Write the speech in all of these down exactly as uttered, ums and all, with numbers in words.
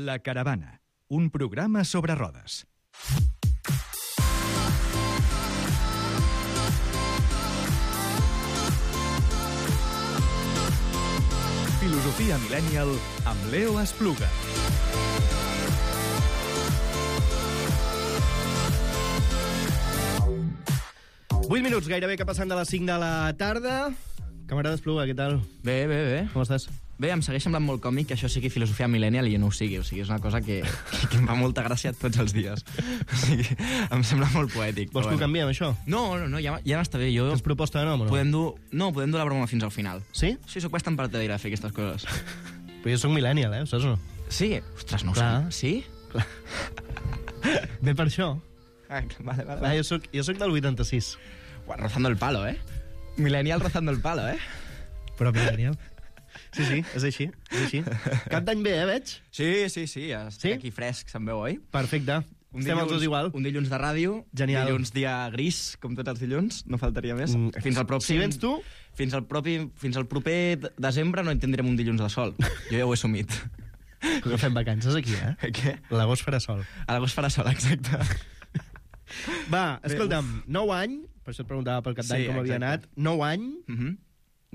La Caravana, un programa sobre rodes. Filosofia Millennial amb Leo Espluga. vuit minuts, gairebé que passant de les cinc de la tarda. Camarada Espluga, què tal? Bé, bé, bé. Com estàs? Bé, em segueix semblant molt còmic que això sigui filosofia millennial i jo no ho sigui. O sigui, és una cosa que, que, que em fa molta gràcia tots els dies. O sigui, em sembla molt poètic. Vols que ho canviem, això? No, no, no, ja, ja n'està bé. Jo... Tens proposta de nom o no? Podem dur... No, podem dur la broma fins al final. Sí? Sí, sóc bastant partidari de fer aquestes coses. Però jo sóc millennial, eh? Ho saps o no? Sí? Ostres, no ho Clar. sé. Sí? Clar. Bé per això. Ah, vale, vale. Clar, jo soc, jo soc del vuitanta-sis. Ua, rozando el palo, eh? Millennial rozando el palo, eh? Però millennial. Sí, sí, és així, és així. Cap d'any bé, eh, veig? Sí, sí, sí, estic Sí? aquí fresc, se'm veu, oi? Perfecte. Un Estem els dos igual. Un dilluns de ràdio, Genial. dilluns dia gris, com tots els dilluns, no faltaria més. Mm, Fins al pròxim... si vens tu- Fins al, propi, fins al proper d- desembre no en tindrem un dilluns de sol. Jo ja ho he assumit. Que fem vacances aquí, eh? Què? L'agost farà sol. A l'agost farà sol, exacte. Va, escolta'm, nou any, per això et preguntava pel cap d'any Sí, com havia exacte. anat, nou any, Uh -huh.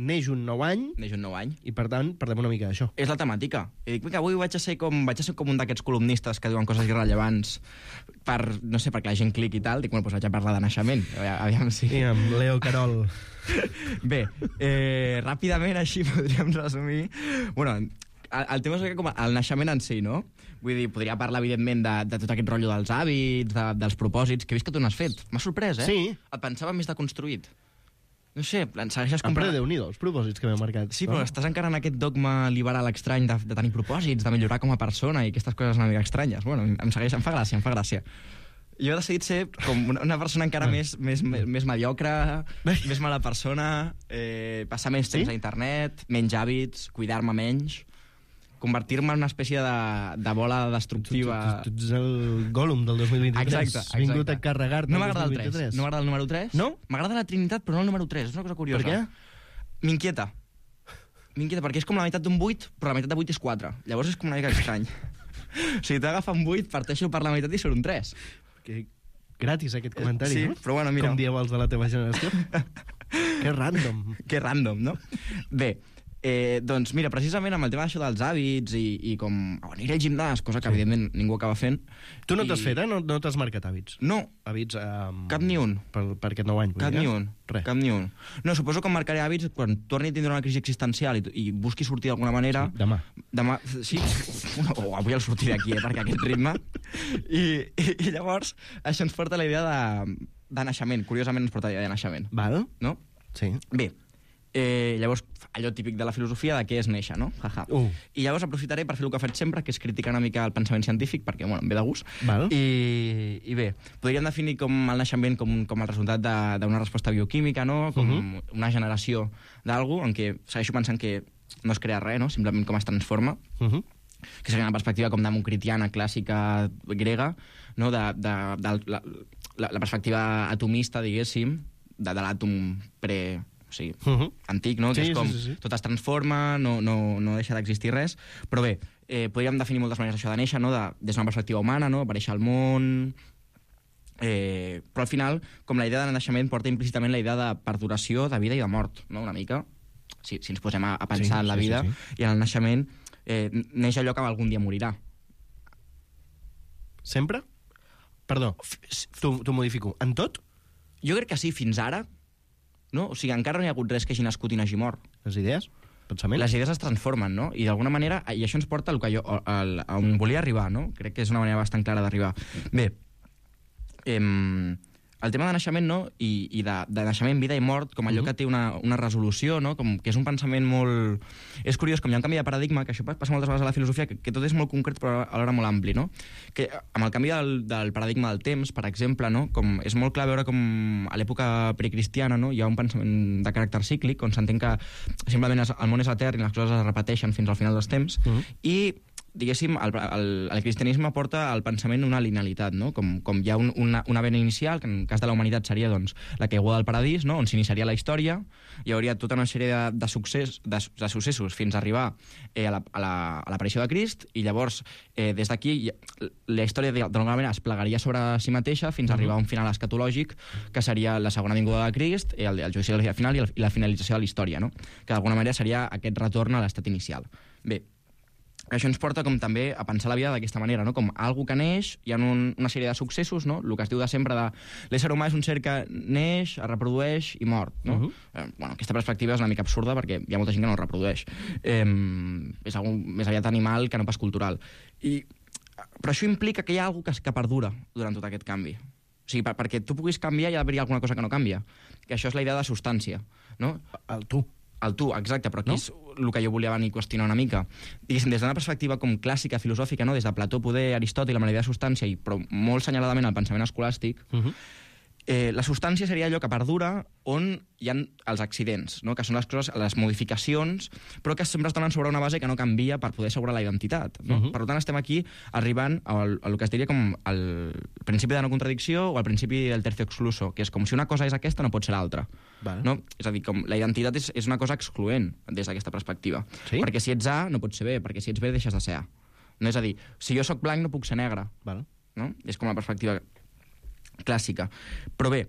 neix un nou any, Neix un nou any. i per tant, parlem una mica d'això. És la temàtica. I dic que avui vaig a ser com, vaig a ser com un d'aquests columnistes que diuen coses irrellevants per, no sé, perquè la gent cliqui i tal. Dic, bueno, doncs vaig a parlar de naixement. Aviam, aviam si... Sí, amb Leo Carol. Bé, eh, ràpidament així podríem resumir... Bueno, el, el tema és com el naixement en si, no? Vull dir, podria parlar, evidentment, de, de tot aquest rotllo dels hàbits, de, dels propòsits, que he vist que tu n'has fet. M'ha sorprès, eh? Sí. Et pensava més deconstruït. No sé, en segueixes Ah, però comprant... Déu-n'hi-do, els propòsits que m'he marcat. Sí, però estàs encara en aquest dogma liberal estrany de, de tenir propòsits, de millorar com a persona i aquestes coses una mica estranyes. Bueno, em segueix, em fa gràcia, em fa gràcia. Jo he decidit ser com una, una persona encara més, més, més, més mediocre, més mala persona, eh, passar més temps Sí? a internet, menys hàbits, cuidar-me menys, convertir-me en una espècie de, de bola destructiva... Tu, tu, tu ets el Gollum del dos mil vint-i-tres. Exacte, Has vingut exacte. a carregar-te No el m'agrada el dos mil vint-i-tres. tres. No m'agrada el número tres. No? M'agrada la Trinitat, però no el número tres. És una cosa curiosa. Per què? M'inquieta. M'inquieta, perquè és com la meitat d'un vuit, però la meitat de vuit és quatre. Llavors és com una mica estrany. O sigui, t'agafa un vuit, parteixo per la meitat i surt un tres. Que gratis, aquest comentari, Sí, no? però bueno, mira. Com dieu els de la teva generació. Que random. Que random, no? Bé, eh, doncs mira, precisament amb el tema d'això dels hàbits i, i com oh, aniré al gimnàs, cosa que sí. evidentment ningú acaba fent. Tu no I... t'has fet, eh? No, no t'has marcat hàbits. No, Hàbits... Um, cap ni un. Per, per aquest nou any. vull Cap dir, ni eh? un. Res. Cap ni un. No, suposo que em marcaré hàbits quan torni a tindre una crisi existencial i, i busqui sortir d'alguna manera. Sí, demà. Demà, sí. O avui el sortir d'aquí, eh, perquè aquest ritme. I, i, I llavors això ens porta a la idea de, de naixement. Curiosament ens porta a la idea de naixement. Val? No? Sí. Bé, eh, llavors, allò típic de la filosofia de què és néixer, no? Jaja. Uh. I llavors aprofitaré per fer el que faig sempre, que és criticar una mica el pensament científic, perquè, bueno, em ve de gust. Val. I, I bé, podríem definir com el naixement com, com el resultat de- d'una resposta bioquímica, no? Com Uh uh -huh. una generació d'algú en què segueixo pensant que no es crea res, no? Simplement com es transforma. Uh -huh. Que seria una perspectiva com democritiana, clàssica, grega, no? de, de, de la, la, la perspectiva atomista, diguéssim, de, de l'àtom pre... O sigui, Uh -huh. antic, no? Que Sí, és com sí, sí, sí. tot es transforma, no, no, no deixa d'existir res. Però bé, eh, podríem definir moltes maneres això de néixer, no? De, des d'una perspectiva humana, no? Aparèixer al món... Eh, però al final, com la idea de naixement porta implícitament la idea de perduració, de vida i de mort, no? Una mica. Si, si ens posem a, a pensar Sí, en la sí, vida sí, i en el naixement, eh, neix allò que algun dia morirà. Sempre? Perdó, t'ho modifico. En tot? Jo crec que sí, fins ara, no? O sigui, encara no hi ha hagut res que hagi nascut i n'hagi mort. Les idees? Pensament? Les idees es transformen, no? I d'alguna manera, i això ens porta al que jo, al, a on volia arribar, no? Crec que és una manera bastant clara d'arribar. Bé, eh, el tema de naixement, no? I, i de, de naixement, vida i mort, com allò Mhm. que té una, una resolució, no? Com que és un pensament molt... És curiós, com hi ha un canvi de paradigma, que això passa moltes vegades a la filosofia, que, que tot és molt concret però alhora molt ampli, no? Que amb el canvi del, del paradigma del temps, per exemple, no? Com és molt clar veure com a l'època precristiana, no? Hi ha un pensament de caràcter cíclic, on s'entén que simplement es, el món és etern i les coses es repeteixen fins al final dels temps, Mhm. i diguéssim, el, el, el cristianisme porta al pensament una linealitat, no? Com, com hi ha un, una, una vena inicial, que en el cas de la humanitat seria doncs, la caiguda del paradís, no? On s'iniciaria la història, hi hauria tota una sèrie de, de, succés, de, de successos fins a arribar eh, a l'aparició la, a de Crist, i llavors, eh, des d'aquí, la història d'alguna manera es plegaria sobre si mateixa fins a arribar a un final escatològic, que seria la segona vinguda de Crist, el, el judici del dia final i, el, i la finalització de la història, no? Que d'alguna manera seria aquest retorn a l'estat inicial. Bé, això ens porta com també a pensar la vida d'aquesta manera, no? Com algú que neix, hi ha un, una sèrie de successos, no? El que es diu de sempre de l'ésser humà és un ser que neix, es reprodueix i mort, no? Uh -huh. eh, bueno, aquesta perspectiva és una mica absurda perquè hi ha molta gent que no es reprodueix. Eh, és algú més aviat animal que no pas cultural. I, però això implica que hi ha alguna cosa que perdura durant tot aquest canvi. O sigui, per, perquè tu puguis canviar hi ha d'haver alguna cosa que no canvia. Que això és la idea de substància, no? El tu. El tu, exacte, però aquí no? És el que jo volia venir a qüestionar una mica. Diguéssim, des d'una perspectiva com clàssica, filosòfica, no? Des de Plató, poder, Aristòtil, amb la idea de substància, i però molt senyaladament al pensament escolàstic, uh -huh. eh, la substància seria allò que perdura on hi ha els accidents, no? Que són les coses, les modificacions, però que sempre es donen sobre una base que no canvia per poder assegurar la identitat. No? Uh -huh. Per tant, estem aquí arribant al, al que es diria com el principi de no contradicció o el principi del tercio excluso, que és com si una cosa és aquesta, no pot ser l'altra. Vale. No? És a dir, com la identitat és, és una cosa excloent des d'aquesta perspectiva. Sí? Perquè si ets A no pots ser B, perquè si ets B deixes de ser A. No? És a dir, si jo sóc blanc no puc ser negre. Vale. No? És com la perspectiva clàssica. Però bé,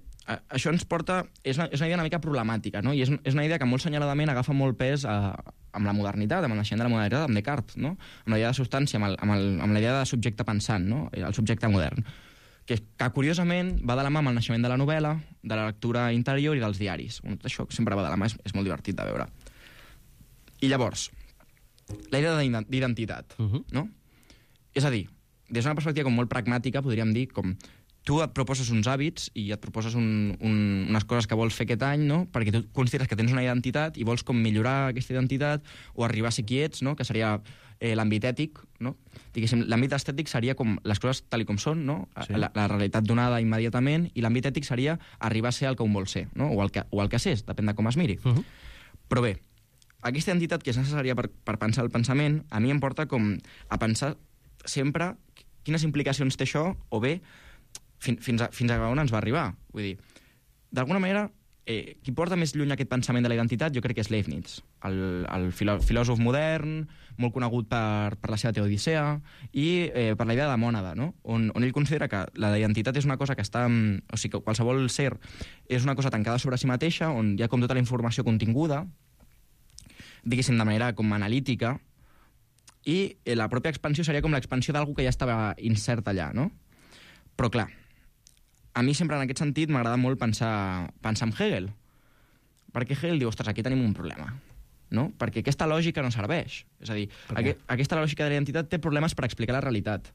això ens porta... És una, és una idea una mica problemàtica, no? I és, és una idea que molt senyaladament agafa molt pes a, amb la modernitat, amb el naixement de la modernitat, amb Descartes, no? Amb la idea de substància, amb, el, amb, el, amb la idea de subjecte pensant, no? El subjecte modern. Que, que curiosament va de la mà amb el naixement de la novel·la, de la lectura interior i dels diaris. Tot això sempre va de la mà, és, és molt divertit de veure. I llavors, la idea d'identitat, uh -huh. no? És a dir, des d'una perspectiva com molt pragmàtica, podríem dir com tu et proposes uns hàbits i et proposes un, un, unes coses que vols fer aquest any, no? Perquè tu consideres que tens una identitat i vols com millorar aquesta identitat o arribar a ser qui ets, no? Que seria eh, l'àmbit ètic, no? Diguéssim, l'àmbit estètic seria com les coses tal com són, no? Sí. La, la realitat donada immediatament, i l'àmbit ètic seria arribar a ser el que un vol ser, no? O el que, o el que s'és, depèn de com es miri. Uh -huh. Però bé, aquesta identitat que és necessària per, per pensar el pensament, a mi em porta com a pensar sempre quines implicacions té això, o bé, Fins, fins, a, fins a on ens va arribar. Vull dir, d'alguna manera, eh, qui porta més lluny aquest pensament de la identitat jo crec que és Leibniz, el, el filò, filòsof modern, molt conegut per, per la seva teodicea, i eh, per la idea de mònada, no? on, on ell considera que la identitat és una cosa que està... O sigui, que qualsevol ser és una cosa tancada sobre si mateixa, on hi ha com tota la informació continguda, diguéssim, de manera com analítica, i eh, la pròpia expansió seria com l'expansió d'algú que ja estava incert allà, no? Però, clar, a mi sempre en aquest sentit m'agrada molt pensar, pensar en Hegel. Perquè Hegel diu, ostres, aquí tenim un problema, no? Perquè aquesta lògica no serveix. És a dir, aqu aquesta lògica de la identitat té problemes per explicar la realitat.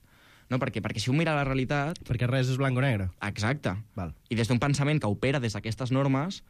No? Perquè, perquè si un mira la realitat... Perquè res és blanc o negre. Exacte. Val. I des d'un pensament que opera des d'aquestes normes,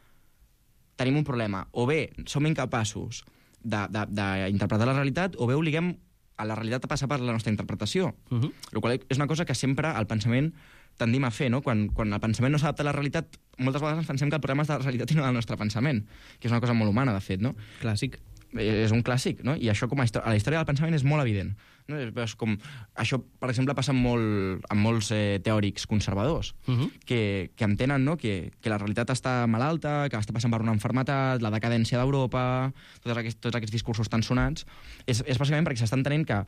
tenim un problema. O bé som incapaços d'interpretar la realitat, o bé obliguem a la realitat a passar per la nostra interpretació. Uh -huh. El qual és una cosa que sempre al pensament tendim a fer, no? Quan, quan el pensament no s'adapta a la realitat, moltes vegades ens pensem que el problema és de la realitat i no del nostre pensament, que és una cosa molt humana, de fet, no? Clàssic. És un clàssic, no? I això com a, a la història del pensament és molt evident. No? És com, això, per exemple, passa amb, molt, amb molts eh, teòrics conservadors, uh -huh. que, que entenen, no? que, que la realitat està malalta, que està passant per una enfermetat, la decadència d'Europa, tots, aquests, tots aquests discursos tan sonats, és, és bàsicament perquè s'està entenent que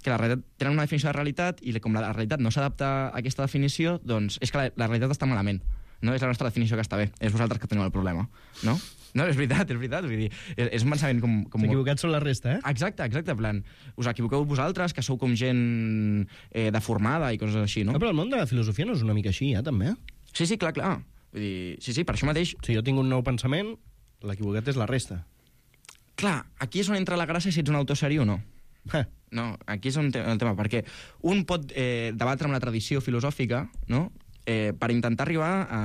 que la realitat tenen una definició de realitat i com la realitat no s'adapta a aquesta definició, doncs és que la, la realitat està malament. No és la nostra definició que està bé, és vosaltres que teniu el problema, no? No, és veritat, és veritat, vull dir, és, és un pensament com... com... S'equivocats són la resta, eh? Exacte, exacte, en plan, us equivoqueu vosaltres, que sou com gent eh, deformada i coses així, no? no? Però el món de la filosofia no és una mica així, ja, també? Sí, sí, clar, clar. Vull dir, sí, sí, per això mateix... Si jo tinc un nou pensament, l'equivocat és la resta. Clar, aquí és on entra la gràcia si ets un autor seri o no. Eh. No, aquí és on té el tema, perquè un pot eh, debatre amb la tradició filosòfica, no?, eh, per intentar arribar a,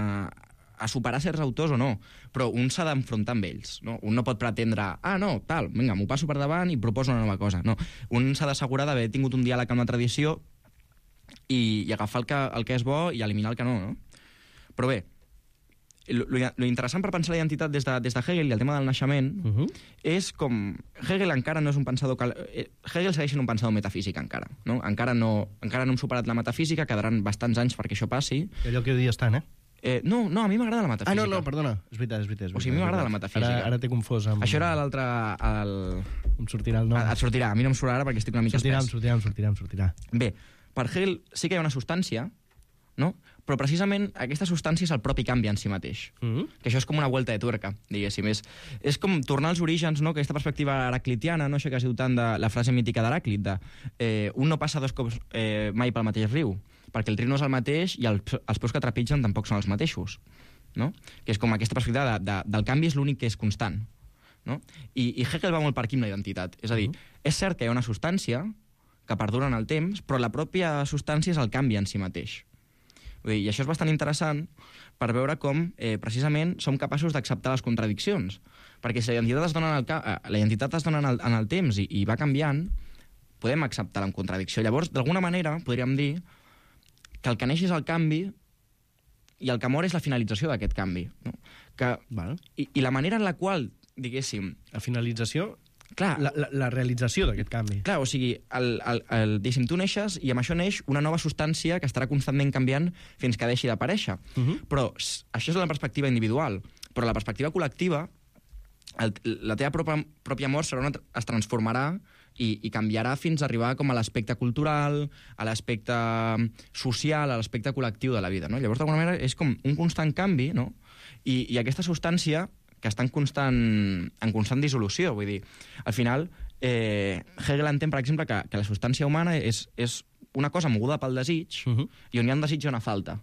a superar certs autors o no, però un s'ha d'enfrontar amb ells, no? Un no pot pretendre, ah, no, tal, vinga, m'ho passo per davant i proposo una nova cosa, no. Un s'ha d'assegurar d'haver tingut un diàleg amb la tradició i, i agafar el que, el que és bo i eliminar el que no, no? Però bé, lo, lo interessant per pensar la identitat des de, des de Hegel i el tema del naixement uh -huh. és com... Hegel encara no és un pensador... Cal... Hegel segueix sent un pensador metafísic encara. No? Encara, no, encara no hem superat la metafísica, quedaran bastants anys perquè això passi. Allò que dius tant, eh? Eh, no, no, a mi m'agrada la metafísica. Ah, no, no, perdona. És veritat, és veritat. És veritat o sigui, a mi m'agrada la metafísica. Ara, ara t'he confós amb... Això era l'altre... El... Em sortirà el nom. Et sortirà. A mi no em sortirà ara perquè estic una mica sortirà, espès. Em sortirà, em sortirà, em sortirà. Bé, per Hegel sí que hi ha una substància, no? Però precisament aquesta substància és el propi canvi en si mateix. Mm -hmm. Que això és com una vuelta de tuerca, diguéssim. És, és com tornar als orígens, no? Aquesta perspectiva heraclitiana, no? Això que es diu tant de la frase mítica d'Heràclit, de eh, un no passa dos cops eh, mai pel mateix riu, perquè el riu no és el mateix i el, els peus que trepitgen tampoc són els mateixos. No? Que és com aquesta perspectiva de, de, del canvi és l'únic que és constant. No? I, I Hegel va molt per aquí amb la identitat. És a dir, mm -hmm. és cert que hi ha una substància que perdura en el temps, però la pròpia substància és el canvi en si mateix. Vull dir, i això és bastant interessant per veure com, eh, precisament, som capaços d'acceptar les contradiccions. Perquè si la identitat es dona en el, la identitat es dona en el, en el temps i, i va canviant, podem acceptar-la en contradicció. Llavors, d'alguna manera, podríem dir que el que neix és el canvi i el que mor és la finalització d'aquest canvi. No? Que, vale. i, I la manera en la qual, diguéssim... La finalització... Clar, la, la, la realització d'aquest canvi. Clar, o sigui, el, el, el, diguéssim, tu neixes i amb això neix una nova substància que estarà constantment canviant fins que deixi d'aparèixer. Uh -huh. Però això és la perspectiva individual. Però la perspectiva col·lectiva, el, la teva pròpia, pròpia mort serà una, es transformarà i, i canviarà fins a arribar com a l'aspecte cultural, a l'aspecte social, a l'aspecte col·lectiu de la vida. No? Llavors, d'alguna manera, és com un constant canvi, no? I, i aquesta substància que està en constant, en constant dissolució. Vull dir, al final, eh, Hegel entén, per exemple, que, que la substància humana és, és una cosa moguda pel desig uh -huh. i on hi ha un desig i una falta.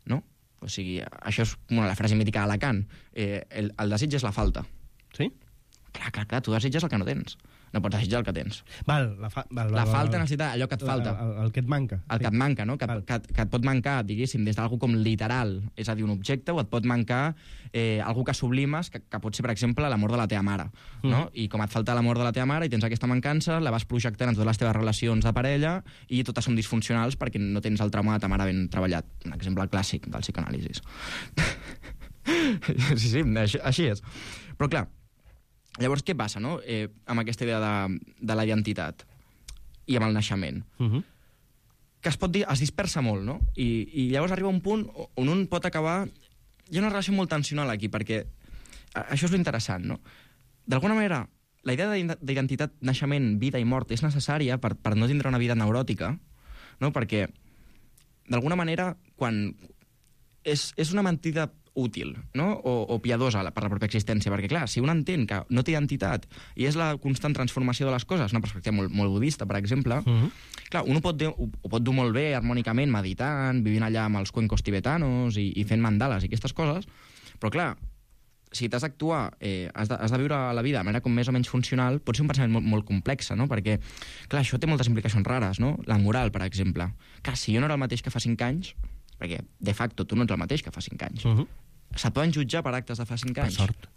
No? O sigui, això és una la frase mítica de Lacan. Eh, el, el desig és la falta. Sí? Clar, clar, clar, tu desitges el que no tens. No pots desitjar el que tens. Val, la, fa, val, val, la val, falta val. necessita allò que et falta. El, el, el que et manca. El sí. que et manca, no? Que, que, que et pot mancar, diguéssim, des d'algú com literal, és a dir, un objecte, o et pot mancar eh, algú que sublimes, que, que pot ser, per exemple, l'amor de la teva mare. No? Mm. I com et falta l'amor de la teva mare i tens aquesta mancança, la vas projectant en totes les teves relacions de parella i totes són disfuncionals perquè no tens el trauma de ta mare ben treballat. Un exemple clàssic del psicoanàlisis. sí, sí, així, així és. Però, clar, llavors, què passa, no?, eh, amb aquesta idea de, de la identitat i amb el naixement? Uh -huh. Que es pot dir, es dispersa molt, no? I, i llavors arriba un punt on un pot acabar... Hi ha una relació molt tensional aquí, perquè això és l'interessant, no? D'alguna manera, la idea d'identitat, naixement, vida i mort és necessària per, per no tindre una vida neuròtica, no? Perquè, d'alguna manera, quan... És, és una mentida útil, no? o, o piadosa per la pròpia existència, perquè, clar, si un entén que no té identitat i és la constant transformació de les coses, una perspectiva molt, molt budista, per exemple, uh -huh. clar, un ho pot, ho, ho pot dur molt bé harmònicament, meditant, vivint allà amb els cuencos tibetanos i, i fent mandales i aquestes coses, però, clar, si t'has d'actuar, eh, has, de, has de viure la vida de manera com més o menys funcional, pot ser un pensament molt, molt complex, no? Perquè, clar, això té moltes implicacions rares, no? La moral, per exemple. Clar, si jo no era el mateix que fa cinc anys, perquè, de facto, tu no ets el mateix que fa cinc anys. Uh -huh. Se't poden jutjar per actes de fa cinc anys. Per sort.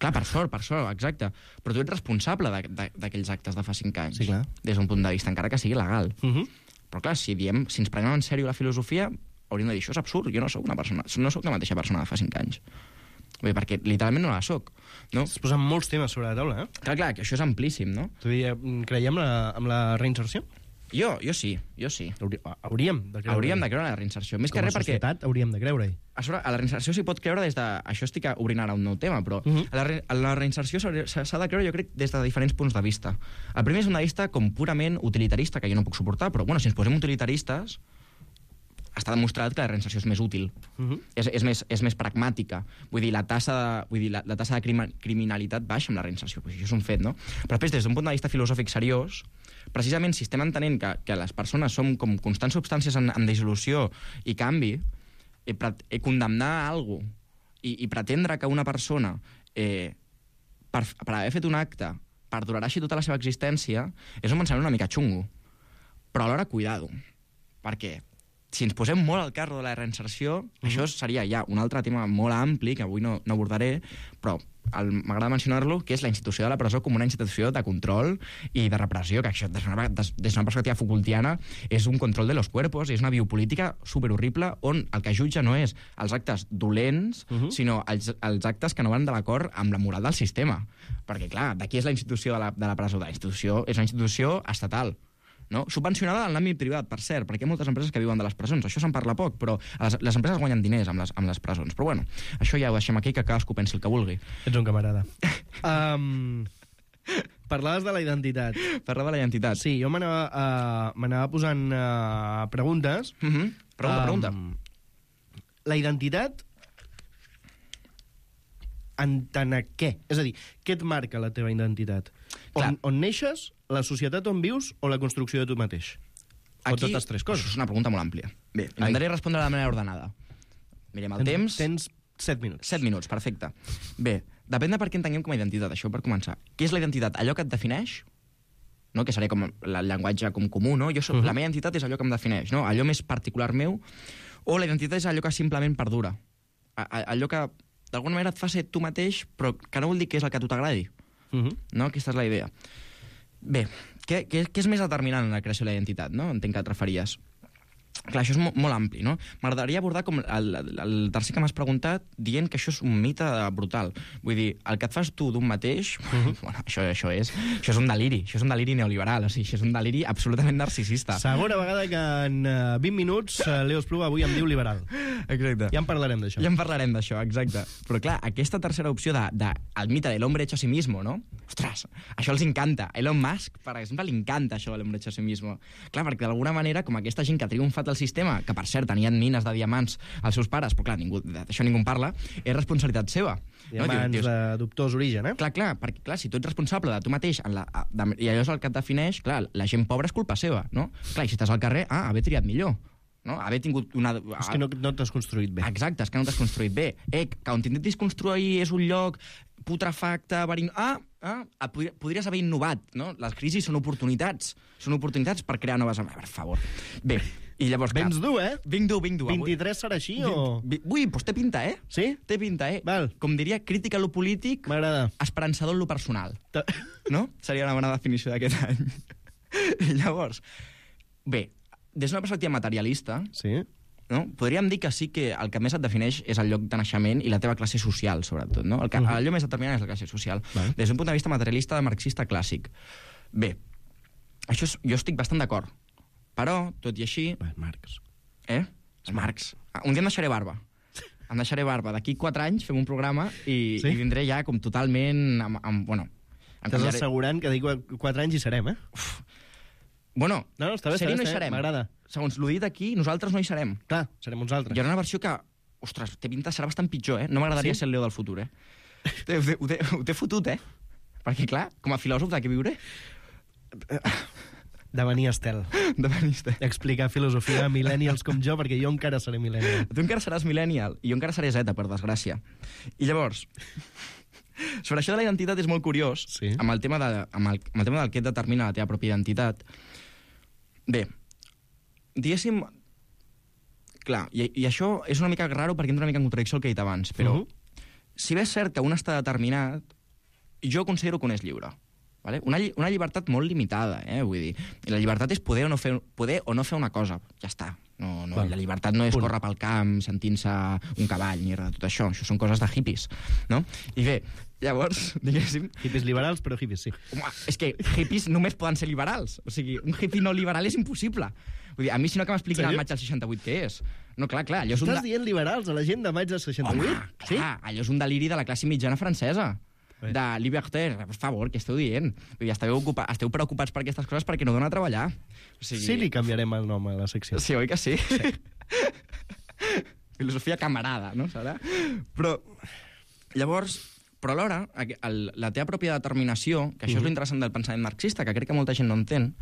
Clar, per sort, per sort, exacte. Però tu ets responsable d'aquells actes de fa cinc anys. Sí, clar. Des d'un punt de vista, encara que sigui legal. Uh -huh. Però, clar, si diem, si ens prenem en sèrio la filosofia, hauríem de dir, això és absurd, jo no sóc una persona, no sóc la mateixa persona de fa cinc anys. Bé, perquè literalment no la soc. No? Es posen molts temes sobre la taula, eh? Clar, clar, que això és amplíssim, no? Tu diria, creiem la, amb la reinserció? Jo, jo sí, jo sí. Hauríem de creure. Hauríem de creure en la reinserció. Més Com que res perquè... Com a societat hauríem de creure-hi. A sobre, a la reinserció s'hi pot creure des de... Això estic obrint ara un nou tema, però uh -huh. a, la re... a la reinserció s'ha de creure, jo crec, des de diferents punts de vista. El primer és un de vista com purament utilitarista, que jo no puc suportar, però, bueno, si ens posem utilitaristes, està demostrat que la reinserció és més útil. Uh -huh. és, és, més, és més pragmàtica. Vull dir, la tassa de, vull dir, la, la tassa de crima, criminalitat baixa amb la reinserció. Pues això és un fet, no? Però després, des d'un punt de vista filosòfic seriós, precisament si estem entenent que, que les persones som com constants substàncies en, en dissolució i canvi, eh, pre, eh, condemnar a algú i, i pretendre que una persona, eh, per, per haver fet un acte, perdurarà així tota la seva existència, és un pensament una mica xungo. Però alhora, cuidado. Per què? si ens posem molt al carro de la reinserció, mm-hmm. això seria ja un altre tema molt ampli, que avui no, no abordaré, però m'agrada mencionar-lo, que és la institució de la presó com una institució de control i de repressió, que això, des d'una, des, des d'una perspectiva Foucaultiana, és un control de los cuerpos, és una biopolítica superhorrible, on el que jutja no és els actes dolents, uh-huh. sinó els, els actes que no van de l'acord amb la moral del sistema. Perquè, clar, d'aquí és la institució de la, de la presó. La institució és una institució estatal, no? Subvencionada en l'àmbit privat, per cert, perquè hi ha moltes empreses que viuen de les presons. Això se'n parla poc, però les, les empreses guanyen diners amb les, amb les presons. Però bueno, això ja ho deixem aquí, que cadascú pensi el que vulgui. Ets un camarada. um, parlaves de la identitat. Parlava de la identitat. Sí, jo m'anava uh, m'anava posant uh, preguntes. Mm-hmm. Pregunta, um, pregunta. La identitat en tant a què? És a dir, què et marca la teva identitat? On, on neixes, la societat on vius o la construcció de tu mateix? O aquí, totes tres coses? Això és una pregunta molt àmplia. Bé, intentaré respondre de manera ordenada. Mirem el tens, temps. Tens set minuts. Set minuts, perfecte. Bé, depèn de per què entenguem com a identitat, això per començar. Què és la identitat? Allò que et defineix, no? Que seria com el llenguatge com comú, no? Jo soc, uh-huh. La meva identitat és allò que em defineix, no? Allò més particular meu, o la identitat és allò que simplement perdura. A, a, allò que d'alguna manera et fa ser tu mateix, però que no vol dir que és el que a tu t'agradi. Uh-huh. No? Aquesta és la idea. Bé, què, què, què és més determinant en la creació de la identitat, no? Entenc que et referies. Clar, això és molt, molt ampli, no? M'agradaria abordar com el, el tercer que m'has preguntat dient que això és un mite brutal. Vull dir, el que et fas tu d'un mateix, uh-huh. bueno, això, això, és, això és un deliri, això és un deliri neoliberal, o sigui, això és un deliri absolutament narcisista. Segona vegada que en uh, vint minuts uh, Leo Espluga avui em diu liberal. Exacte. Ja en parlarem d'això. Ja en parlarem d'això, exacte. Però clar, aquesta tercera opció de, de el mite de l'hombre hecho a sí mismo, no? Ostres, això els encanta. Elon Musk, per exemple, li encanta això de l'hombre hecho a sí mismo. Clar, perquè d'alguna manera, com aquesta gent que ha triomfat el sistema, que per cert tenien mines de diamants als seus pares, però clar, ningú, d'això ningú en parla, és responsabilitat seva. Diamants no? de dubtós origen, eh? Clar, clar, perquè clar, si tu ets responsable de tu mateix en la, de, i allò és el que et defineix, clar, la gent pobra és culpa seva, no? Clar, i si estàs al carrer, ah, haver triat millor. No? Haver tingut una... És que no, no t'has construït bé. Exacte, és que no t'has construït bé. Eh, que on t'intentis construir és un lloc putrefacte, verin... Ah, ah, podries haver innovat, no? Les crisis són oportunitats. Són oportunitats per crear noves... Per favor. Bé, i llavors... Vens dur, eh? Vinc dur, vinc dur. vint-i-tres serà així, o...? Ui, doncs té pinta, eh? Sí? Té pinta, eh? Val. Com diria, crítica a lo polític... M'agrada. Esperançador en lo personal. Ta... No? Seria una bona definició d'aquest any. I llavors... Bé, des d'una perspectiva materialista... Sí. No? Podríem dir que sí que el que més et defineix és el lloc de naixement i la teva classe social, sobretot. No? El que, uh-huh. Allò més determinant és la classe social. Vale. Des d'un punt de vista materialista de marxista clàssic. Bé, això és, jo estic bastant d'acord. Però, tot i així... Bé, Marx. Eh? És Marx. Un dia em deixaré barba. Em deixaré barba. D'aquí quatre anys fem un programa i, sí? i vindré ja com totalment... Amb, amb, bueno, Estàs canviaré... assegurant que d'aquí quatre anys hi serem, eh? Uf. Bueno, no, no, està bé, ser-hi està bé, no hi serem. M'agrada. Segons l'ho dit aquí, nosaltres no hi serem. Clar, serem uns altres. Hi haurà una versió que, ostres, té pinta, serà bastant pitjor, eh? No m'agradaria sí? ser el Leo del futur, eh? Ho té, ho, té, ho té fotut, eh? Perquè, clar, com a filòsof de què viuré? Devenir estel. Devenir estel. Explicar filosofia a millennials com jo, perquè jo encara seré millennial. Tu encara seràs millennial, i jo encara seré zeta, per desgràcia. I llavors... Sobre això de la identitat és molt curiós, sí? amb, el tema de, amb, el, amb el tema del que et determina la teva pròpia identitat. Bé, diguéssim... Clar, i, i això és una mica raro perquè entra una mica en contradicció el que he dit abans, però uh-huh. si bé és cert que un està determinat, jo considero que un és lliure. Vale? Una, una llibertat molt limitada, eh? Vull dir, la llibertat és poder o no fer, poder o no fer una cosa. Ja està. No, no, la llibertat no és córrer pel camp sentint-se un cavall ni res de tot això. Això són coses de hippies, no? I bé, llavors, diguéssim... Hippies liberals, però hippies sí. Home, és que hippies només poden ser liberals. O sigui, un hippie no liberal és impossible. Vull dir, a mi si no que m'expliquin el maig del seixanta-vuit què és. No, clar, clar, allò és un... Estàs dient liberals a la gent de maig del seixanta-vuit? Home, clar, sí? Allò és un deliri de la classe mitjana francesa. De liberté, per favor, què esteu dient? Vull dir, esteu, ocupa, esteu preocupats per aquestes coses perquè no dona a treballar. O sigui... Sí, li canviarem el nom a la secció. Sí, oi que sí? Sí. Filosofia camarada, no? Serà? Però, llavors, però alhora, el, la teva pròpia determinació, que això uh-huh. és l'interessant del pensament marxista, que crec que molta gent no entén,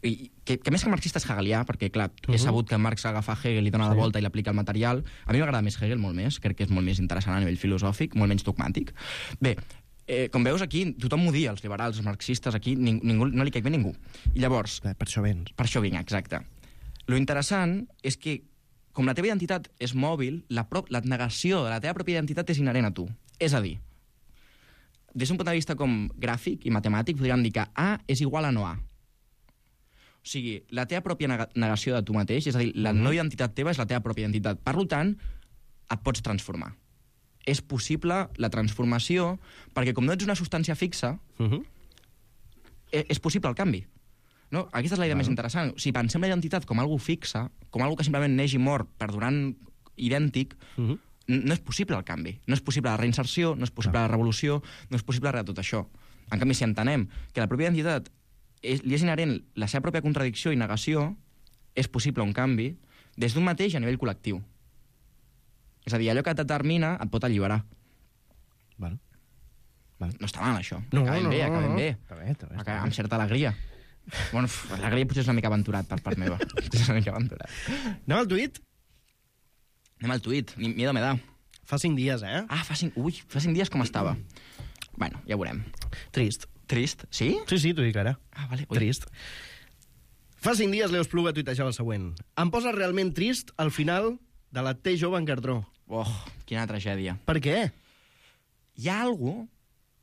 i que, que més que marxista és hegelià, perquè, clar, uh-huh. he sabut que Marx agafa Hegel i dona sí. la volta i l'aplica al material. A mi m'agrada més Hegel, molt més. Crec que és molt més interessant a nivell filosòfic, molt menys dogmàtic. Bé, Eh, com veus, aquí tothom m'ho dia, els liberals, els marxistes, aquí ning ningú, no li caic bé ningú. I llavors... Per això vens. Per això vinc, exacte. Lo interessant és que com la teva identitat és mòbil, la, prop, la negació de la teva pròpia identitat és inherent a tu. És a dir, des d'un punt de vista com gràfic i matemàtic, podríem dir que A és igual a no A. O sigui, la teva pròpia negació de tu mateix, és a dir, la no identitat teva és la teva pròpia identitat. Per tant, et pots transformar. És possible la transformació, perquè com no ets una substància fixa, uh -huh. és possible el canvi. No? Aquesta és la idea bueno. més interessant. Si pensem la identitat com algo fixa, com algo que simplement neix i mor perdurant idèntic, uh -huh. no és possible el canvi. No és possible la reinserció, no és possible no. la revolució, no és possible res de tot això. En canvi, si entenem que la pròpia identitat és, li és inherent la seva pròpia contradicció i negació, és possible un canvi des d'un mateix a nivell col·lectiu. És a dir, allò que et determina et pot alliberar. Val. Val. No està mal, això. No, acabem no, bé, no, acabem no. bé. Està bé, està bé, està bé. Amb certa alegria. Bueno, l'alegria potser és una mica aventurat per part meva. És una mica aventurat. Anem al tuit? Anem al tuit. Ni miedo me da. Fa cinc dies, eh? Ah, fa cinc... Ui, fa cinc dies com estava. Bueno, ja veurem. Trist. Trist? Sí? Sí, sí, t'ho dic ara. Ah, vale. Ui. Trist. Fa cinc dies Leo Espluga tuitejava el següent. Em posa realment trist al final de la T jove en cartró. Oh, quina tragèdia. Per què? Hi ha algú...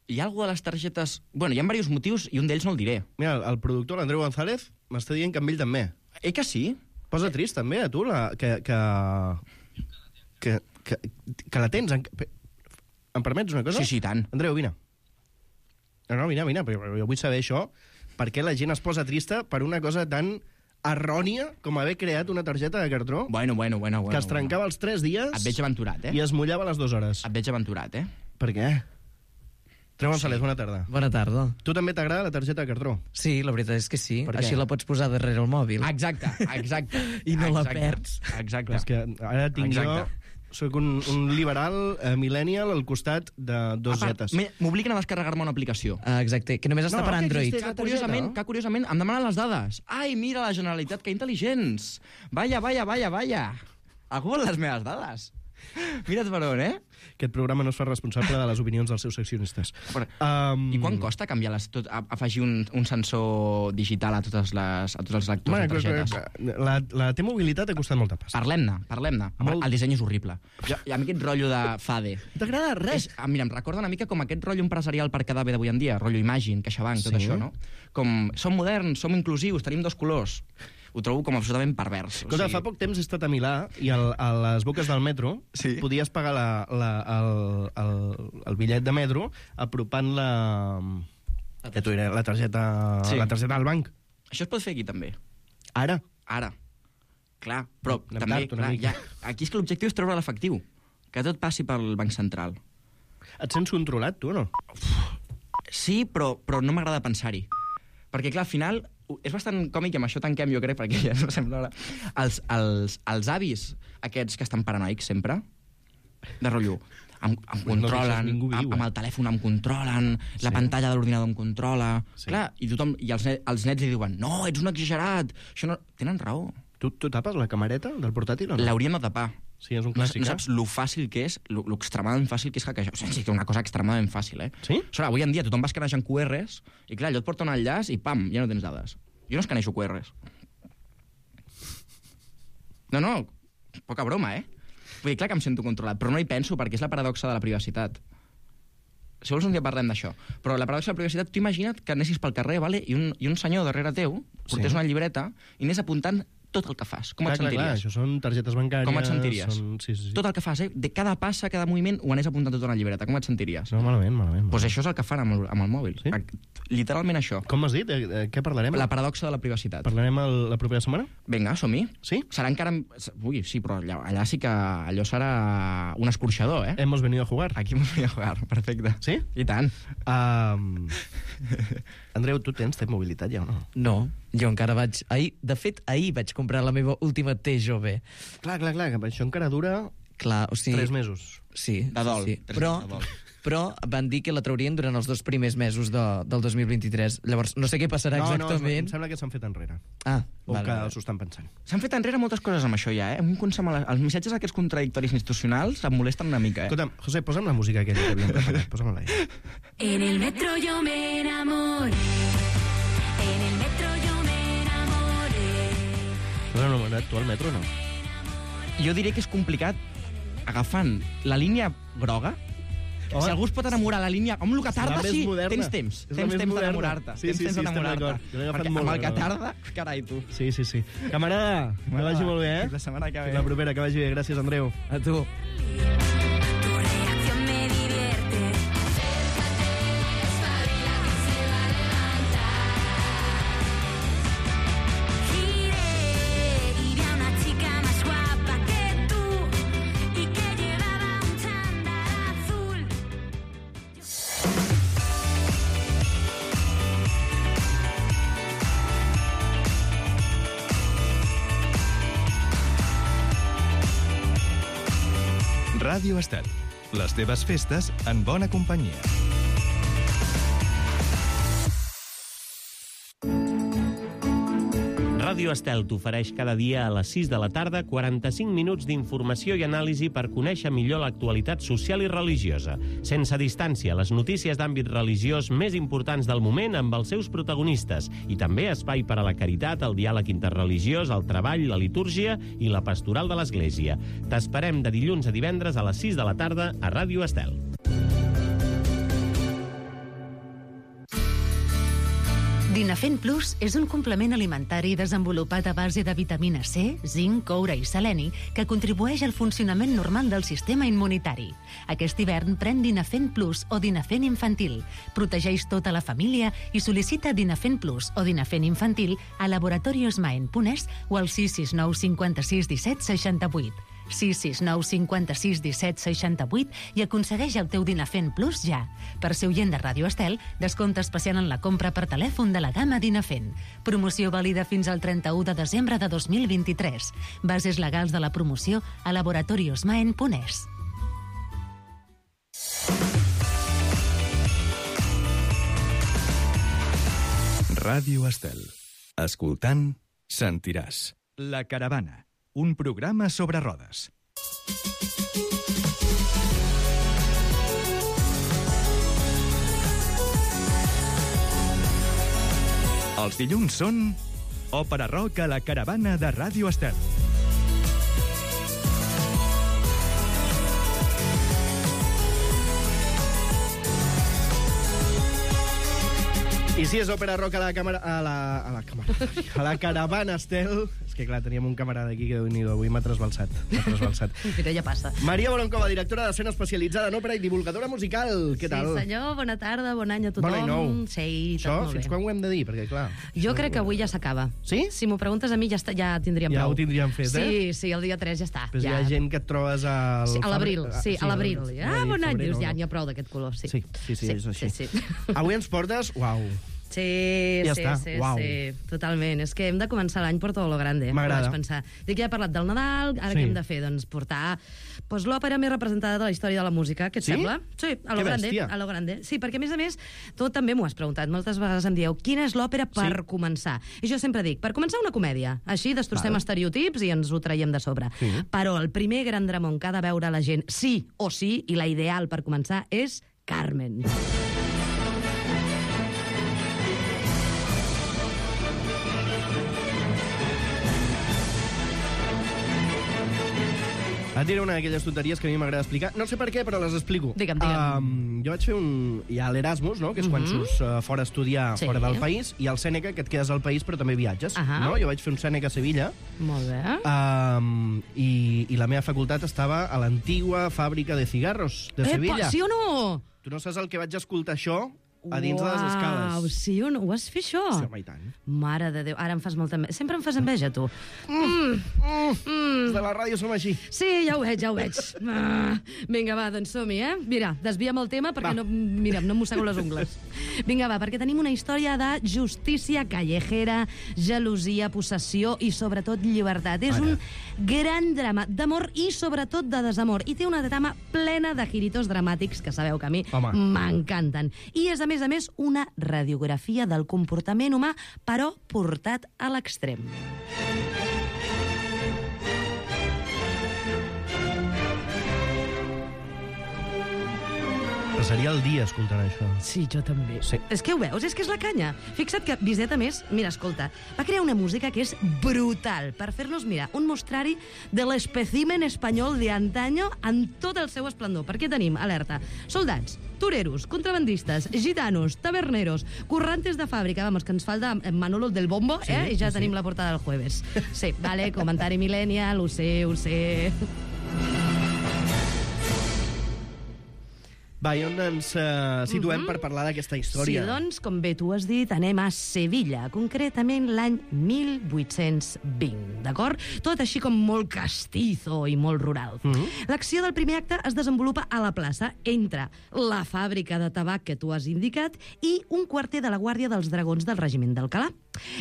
Hi ha algú de les targetes... Bueno, hi ha diversos motius i un d'ells no el diré. Mira, el, el productor, l'Andreu González, m'està dient que amb ell també. Eh que sí? Posa trist també a tu la, que, que, que, que, que la tens. En, em permets una cosa? Sí, sí, tant. Andreu, vine. No, no, vine, vine, però jo vull saber això. Per què la gent es posa trista per una cosa tan errònia com haver creat una targeta de cartró Bueno, bueno, bueno. bueno que es trencava bueno. els tres dies Et veig aventurat, eh? i es mullava a les dues hores. Et veig aventurat, eh? Per què? Andreu González, Sí. bona tarda. Bona tarda. Tu també t'agrada la targeta de cartró? Sí, la veritat és que sí. Per què? Així la pots posar darrere el mòbil. Exacte, exacte. I no la exacte, perds. Exacte. És que ara tinc Exacte. jo... Soc un, un liberal eh, millennial al costat de dos A part, zetes. m'he- m'obliguen a descarregar-me una aplicació. Ah, exacte, que només està No, per que Android. existeix. Que la targeta? curiosament, que curiosament em demanen les dades. Ai, mira la Generalitat, que intel·ligents. Vaya, vaya, vaya, vaya. Algú vol les meves dades? Mira't per on, eh? Aquest programa no es fa responsable de les opinions dels seus seccionistes. Però, Um, I quan costa canviar les, tot, a- afegir un, un sensor digital a, totes les, a tots els lectors Bueno, de targetes? la, la T-mobilitat ha costat molta pasta. Parlem-ne, parlem-ne. Molt- El disseny és horrible. Jo, I a mi aquest rotllo de Fade... T'agrada res? És, ah, mira, em recorda una mica com aquest rotllo empresarial per quedar bé d'avui en dia, rotllo Imagine, CaixaBank, tot Sí. això, no? Com, som moderns, som inclusius, tenim dos colors. Ho trobo com absolutament pervers. Escolta, fa poc temps he estat a Milà i al, a les boques del metro Sí. podies pagar la, la, el, el, el bitllet de metro apropant la, ja t'ho diré, la targeta, Sí. la targeta del banc. Això es pot fer aquí també. Ara. Ara. Clar, però Anem també, tard una clar, mica. ja, aquí és que l'objectiu és treure l'efectiu. Que tot passi pel Banc Central. Et sents controlat, tu, o no? Sí, però, però no m'agrada pensar-hi. Perquè, clar, al final, és bastant còmic, i amb això tanquem, jo crec, perquè ja no sembla hora. Els, els, els avis, aquests que estan paranoics sempre, de rotllo, em, em No controlen, deixes ningú viu, amb, amb eh? el telèfon em controlen, sí. La pantalla de l'ordinador em controla... Sí. Clar, i, tothom, i els, ne els nets li diuen no, ets un exagerat, això no... Tenen raó. Tu, tu tapes la camareta del portàtil o no? L'hauríem de tapar. Sí, és un No, clàssic, no saps lo fàcil que és, lo, lo extremadament fàcil que és hackejar. O sigui, és una cosa extremadament fàcil, eh? Sí? O sigui, avui en dia tothom va escanejant Q Rs i, clar, allò et porta un enllaç i, pam, ja no tens dades. Jo no escaneixo Q Rs. No, no, poca broma, eh? Vull dir, clar que em sento controlat, però no hi penso perquè és la paradoxa de la privacitat. Si vols un dia parlem d'això. Però la paradoxa de la privacitat, tu imagina't que anessis pel carrer, vale? I, un, i un senyor darrere teu portés Sí. una llibreta i anés apuntant tot el que fas. Com clar, et clar, clar, sentiries? això són targetes bancàries... Com et sentiries? Són... Sí, sí, sí. Tot el que fas, eh? De cada passa, cada moviment, ho anés apuntant tot a una llibreta. Com et sentiries? No, malament, malament. Doncs pues això és el que fan amb el, amb el mòbil. Sí? Literalment això. Com m'has dit? Eh, eh, què parlarem? La paradoxa de la privacitat. Parlarem el, la propera setmana? Vinga, som-hi. Sí? Serà encara... Ui, sí, però allà, allà sí que allò serà un escorxador, eh? Hemos venido a jugar. Aquí m'ho voy a jugar, perfecte. Sí? I tant. Um... Andreu, tu tens T-mobilitat ja o no? No, jo encara vaig... Ahir, de fet, ahir vaig comprar la meva última T jove. Clar, clar, clar, que això encara dura Clar, o sigui... tres mesos. Sí, De dol. sí. Tres Però, mesos de dol. però van dir que la traurien durant els dos primers mesos de, del dos mil vint-i-tres. Llavors, no sé què passarà No, no, exactament. em sembla que s'han fet enrere. Ah, O vale, que vale. s'ho estan pensant. S'han fet enrere moltes coses amb això ja, eh? A mi em consama la... Els missatges aquests contradictoris institucionals em molesten una mica, eh? Escolta'm, José, posa'm la música aquella que havíem preparat. Posa'm-la ahí. En el metro yo me enamoré. En el metro yo me enamoré. T'has enamorat tu al metro o no? jo diré que és complicat agafant la línia groga. Home, si algú es pot enamorar la línia amb el que tarda, la més sí, moderna. tens temps. És la Tens més temps moderna. d'enamorar-te. Sí, tens sí, temps sí, estem d'enamorar-te. d'acord. Jo l'he agafat Perquè molt amb el bé, que la tarda, carai, tu. Sí, sí, sí. Camarada, que vagi molt bé, eh? Fins la setmana que ve. Fins la propera, que vagi bé. Gràcies, Andreu. A tu. Tu reacción me divierte. Acércate, espabila que se va a levantar. Giré y vi a una chica más guapa que tú y que llevaba un chándal azul. Ràdio Estel. Les teves festes en bona companyia. Ràdio Estel t'ofereix cada dia a les sis de la tarda quaranta-cinc minuts d'informació i anàlisi per conèixer millor l'actualitat social i religiosa. Sense distància, les notícies d'àmbit religiós més importants del moment amb els seus protagonistes i també espai per a la caritat, el diàleg interreligiós, el treball, la litúrgia i la pastoral de l'Església. T'esperem de dilluns a divendres a les sis de la tarda a Ràdio Estel. Dinafen Plus és un complement alimentari desenvolupat a base de vitamina C, zinc, coure i seleni que contribueix al funcionament normal del sistema immunitari. Aquest hivern pren Dinafen Plus o Dinafen Infantil. Protegeix tota la família i sol·licita Dinafen Plus o Dinafen Infantil a Laboratorios Maen Punès o al sis sis nou cinquanta-sis disset seixanta-vuit. sis sis nou cinquanta-sis disset seixanta-vuit i aconsegueix el teu Dinafen Plus ja. Per ser oient de Ràdio Estel, descompte especial en la compra per telèfon de la gamma Dinafen. Promoció vàlida fins al trenta-u de desembre de dos mil vint-i-tres. Bases legals de la promoció a Laboratorios Maen Punès. Ràdio Estel. Escoltant, sentiràs. La Caravana, un programa sobre rodes. Els dilluns són Òpera Rock a la Caravana de Ràdio Estel. I si és òpera rock a la càmera... A la, a la càmera... A la caravana, Estel... És que, clar, teníem un camarada aquí que, déu-n'hi-do, avui m'ha trasbalsat. M'ha trasbalsat. Mira, ja passa. Maria Bolonkova, directora d'escena especialitzada en òpera i divulgadora musical. Què tal? Sí, senyor, bona tarda, bon any a tothom. Bon any nou. Sí, tot Això, molt fins bé. quan ho hem de dir? Perquè, clar... Jo crec que avui ja s'acaba. Sí? Si m'ho preguntes a mi, ja, està, ja tindríem Ja prou. ho tindríem fet, eh? Sí, sí, el dia tres ja està. Però ja. hi ha gent que et trobes al... Sí, a l'abril, sí, a l'abril. Ah, bon any, dius, ja no. n'hi ha prou d'aquest color, sí. Sí, sí, sí, és així. Sí, sí. Avui ens portes... Uau. Sí, Ja sí, està, sí, uau. sí, totalment. És que hem de començar l'any per tot lo grande. M'agrada. Vaig pensar. Dic, ja he parlat del Nadal, ara Sí. què hem de fer? Doncs portar pues, l'òpera més representada de la història de la música, què et Sí? sembla? Sí, a lo Que grande, bèstia. a lo grande. Sí, perquè a més a més, tu també m'ho has preguntat, moltes vegades em dieu, quina és l'òpera per Sí. començar? I jo sempre dic, per començar una comèdia, així destrossem Val. estereotips i ens ho traiem de sobre. Sí. Però el primer gran dramón que ha de veure la gent sí o sí, i la ideal per començar és Carmen. Et diré una d'aquelles tonteries que a mi m'agrada explicar. No sé per què, però les explico. Digue'm, digue'm. Um, jo vaig fer un... Hi ha l'Erasmus, no?, que és quan Mhm. surts uh, fora a estudiar Sí. fora del país, i el Sèneca, que et quedes al país però també viatges. Ahà. No? Jo vaig fer un Sèneca a Sevilla, Molt bé. um, i, i la meva facultat estava a l'antigua fàbrica de cigarros de Sevilla. Epa, sí o no? Tu no saps el que vaig escoltar això a dins de les escales. Uau, sí o no? Ho vas fer, això? Sí, home, i tant. Mare de Déu, ara em fas molta enveja. Sempre em fas enveja, tu. Mm. Els de la ràdio som així. Sí, ja ho veig, ja ho veig. Ah, vinga, va, doncs som-hi, eh? Mira, desviem el tema perquè Va. no, mira, no em mossego les ungles. Vinga, va, perquè tenim una història de justícia callejera, gelosia, possessió i, sobretot, llibertat. És Ara. un gran drama d'amor i, sobretot, de desamor. I té una trama plena de giritos dramàtics que sabeu que a mi Home. m'encanten. I és, a més a més, una radiografia del comportament humà, però portat a l'extrem. passaria el dia escoltant això. Sí, jo també. Sí. És que ho veus, és que és la canya. Fixa't que Bizet, a més, mira, escolta, va crear una música que és brutal per fer-nos, mira, un mostrari de l'espècimen espanyol de antaño en tot el seu esplendor. Perquè tenim, alerta, soldats, toreros, contrabandistes, gitanos, taberneros, currantes de fàbrica, vamos, que ens falta Manolo del Bombo, Sí, eh? I ja sí, tenim sí. la portada del jueves. Sí, vale, comentari millennial, ho sé, ho sé... Va, i on ens uh, situem Mhm. per parlar d'aquesta història? Sí, doncs, com bé tu has dit, anem a Sevilla, concretament l'any mil vuit-cents vint, d'acord? Tot així com molt castizo i molt rural. Mhm. L'acció del primer acte es desenvolupa a la plaça, entre la fàbrica de tabac que tu has indicat i un quarter de la Guàrdia dels Dragons del regiment d'Alcalà.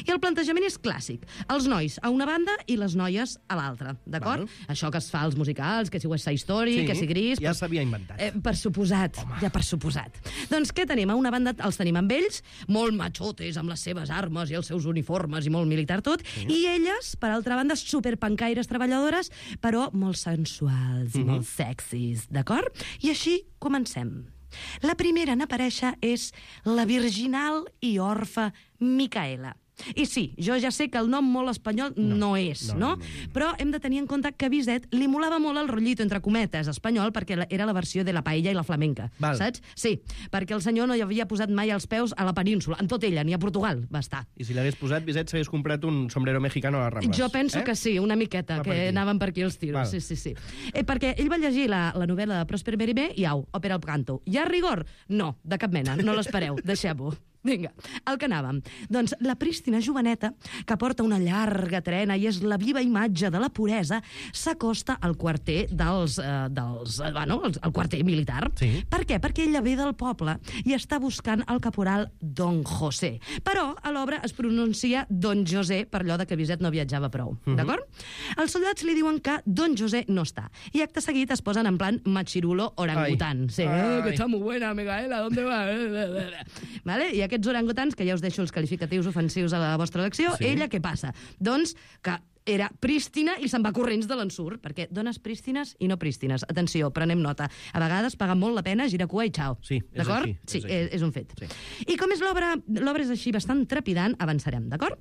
I el plantejament és clàssic. Els nois a una banda i les noies a l'altra, d'acord? Val. Això que es fa als musicals, que si West Side Story, Sí, que si Gris... ja s'havia inventat. Eh, per suposat, Home. ja per suposat. Doncs què tenim? A una banda els tenim amb ells, molt machotes, amb les seves armes i els seus uniformes i molt militar tot, sí. i elles, per altra banda, superpancaires treballadores, però molt sensuals i Mhm. molt sexis, d'acord? I així comencem. La primera en aparèixer és la virginal i orfa Micaela. I sí, jo ja sé que el nom molt espanyol no, no és, no, no, no, no, no, no. però hem de tenir en compte que a Bizet li molava molt el rotllito, entre cometes, espanyol, perquè la- era la versió de la paella i la flamenca, Val. saps? Sí, perquè el senyor no hi havia posat mai els peus a la península, en tot ella, ni a Portugal va estar. I si l'hagués posat, Bizet s'hagués comprat un sombrero mexicano a les Rambles. Jo penso eh? que sí, una miqueta, Va per que aquí. anaven per aquí els tiros. Val. Sí, sí, sí. Eh, perquè ell va llegir la, la novel·la de Prosper Mérimée i au, òpera al canto. Hi ha rigor? No, de cap mena, no l'espereu, deixeu-ho. Vinga, al que anàvem. Doncs la prístina joveneta, que porta una llarga trena i és la viva imatge de la puresa, s'acosta al quarter dels... Eh, dels eh, bueno, el, el quarter militar. Sí. Per què? Perquè ella ve del poble i està buscant el caporal Don José. Però a l'obra es pronuncia Don José per allò de que Bizet no viatjava prou. Mhm. D'acord? Els soldats li diuen que Don José no està. I acte seguit es posen en plan machirulo orangután. Ai. Sí, Ai. eh, que está muy buena, Micaela, ¿dónde va? Vale? I aquests orangutans, que ja us deixo els qualificatius ofensius a la vostra elecció, Sí. ella què passa? Doncs que era prístina i se'n va corrents de l'ensurt, perquè dones prístines i no prístines. Atenció, prenem nota. A vegades paga molt la pena, gira cua i xau. Sí, és D'acord? així, Sí, és així. és, és un fet. Sí. I com és l'obra, l'obra és així bastant trepidant, avançarem, d'acord?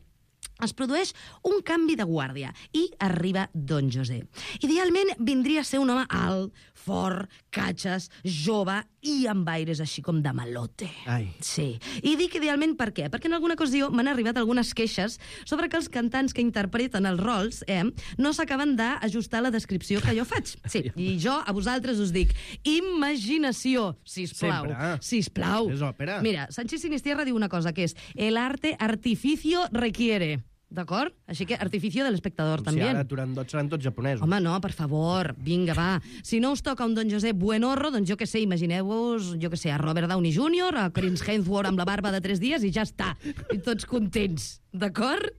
Es produeix un canvi de guàrdia i arriba Don José. Idealment vindria a ser un home alt, fort, catxes, jove i amb aires així com de malote. Ai. Sí. I dic idealment per què? Perquè en alguna ocasió m'han arribat algunes queixes sobre que els cantants que interpreten els rols eh, no s'acaben d'ajustar a la descripció que jo faig. Sí, i jo a vosaltres us dic imaginació, sisplau. Sempre. Sisplau. És òpera. Mira, Sánchez Sinistierra diu una cosa, que és el arte artificio requiere. D'acord? Així que artificio de l'espectador, Si també. ara Turandot seran tots japonesos. Home, no, per favor, vinga, va. Si no us toca un Don José Buenorro, doncs jo que sé, imagineu-vos, jo que sé, a Robert Downey júnior, a Chris Hemsworth amb la barba de tres dies i ja està. I tots contents, d'acord?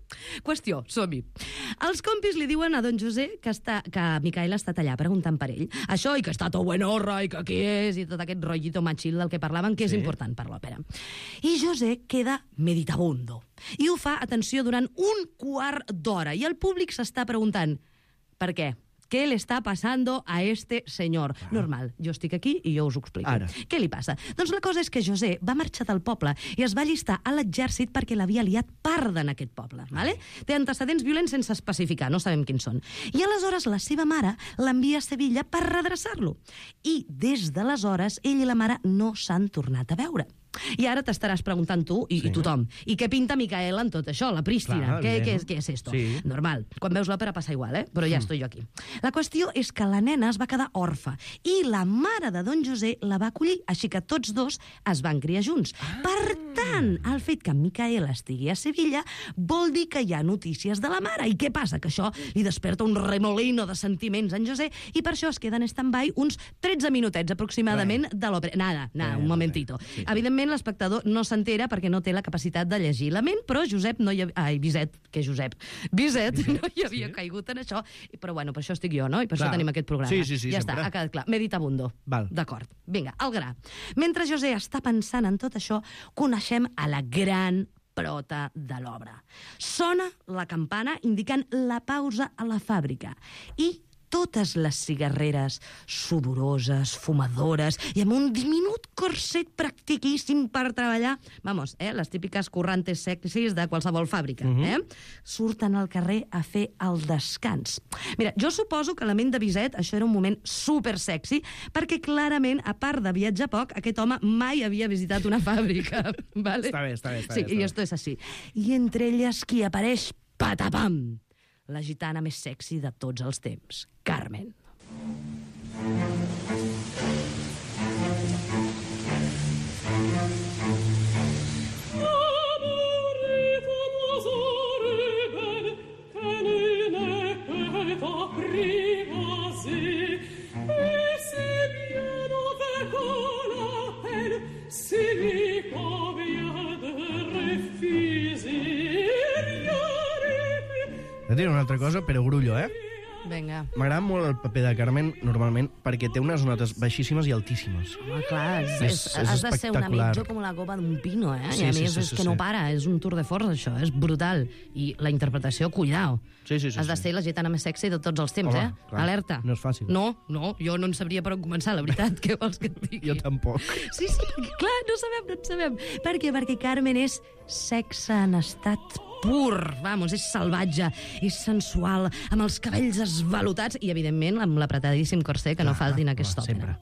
Qüestió, som-hi. Els compis li diuen a Don José que, està, que Micaela ha estat allà preguntant per ell. Això, i que està tot Buenorro, i que qui és, i tot aquest rotllito machil del que parlaven, que és Sí. important per l'òpera. I José queda meditabundo. I ho fa, atenció, durant un quart d'hora. I el públic s'està preguntant per què? Què li està passant a este senyor? Ah. Normal, jo estic aquí i jo us ho explico. Ara. Què li passa? Doncs la cosa és que José va marxar del poble i es va allistar a l'exèrcit perquè l'havia liat parda en aquest poble. Vale? Té antecedents violents sense especificar, no sabem quins són. I aleshores la seva mare l'envia a Sevilla per redreçar-lo. I des d'aleshores ell i la mare no s'han tornat a veure. I ara t'estaràs preguntant tu i, Sí. i tothom. I què pinta Micaela en tot això, la prístina? Clar, què, evident. què, és, què és esto? Sí. Normal. Quan veus l'òpera passa igual, eh? Però ja estoy jo aquí. La qüestió és que la nena es va quedar orfa i la mare de Don José la va acollir, així que tots dos es van criar junts. Ah. Per tant, el fet que Micaela estigui a Sevilla vol dir que hi ha notícies de la mare. I què passa? Que això li desperta un remolino de sentiments en José i per això es queda en stand-by uns tretze minutets aproximadament de l'òpera. Nada, nada, Res, un momentito. res, sí. Evidentment, l'espectador no s'entera perquè no té la capacitat de llegir la ment, però Josep no hi havia... Ai, Bizet, que Josep. Bizet, Bizet no hi havia sí. caigut en això, però bueno, per això estic jo, no? I per Clar. això tenim aquest programa. Sí, sí, sí, ja sempre. està, ha quedat clar. Meditabundo. Val. D'acord. Vinga, al gra. Mentre José està pensant en tot això, coneixem a la gran prota de l'obra. Sona la campana indicant la pausa a la fàbrica i totes les cigarreres sudoroses, fumadores i amb un diminut corset practiquíssim per treballar. Vamos, eh, les típiques currantes sexis de qualsevol fàbrica. Uh-huh. eh? Surten al carrer a fer el descans. Mira, jo suposo que la ment de Bizet això era un moment super sexy, perquè clarament, a part de viatjar poc, aquest home mai havia visitat una fàbrica. Vale? Està bé, està bé. Està sí, bé, està i bé. esto és així. I entre elles qui apareix, patapam, la gitana més sexy de tots els temps, Carmen. Et diré una altra cosa, però grullo, eh? Vinga. M'agrada molt el paper de Carmen, normalment, perquè té unes notes baixíssimes i altíssimes. Home, clar, és, És- és, és has de ser una espectacular. mitja com la copa d'un pino, eh? Sí, I a sí, més sí, és sí, que sí. no para, és un tour de force, això, és brutal. I la interpretació, cuidao. Sí, sí, sí, Has de sí. ser la gitana més sexy de tots els temps, Home, eh? clar, Alerta. no és fàcil. No, no, jo no en sabria per on començar, la veritat. Què vols que et digui? Jo tampoc. Sí, sí, perquè, clar, no sabem, no en sabem. Per què? Perquè Carmen és sexe en estat pur, vamos, és salvatge, és sensual, amb els cabells esvalotats i, evidentment, amb l'apretadíssim corset que no Clar, falti en aquesta clar, òpera.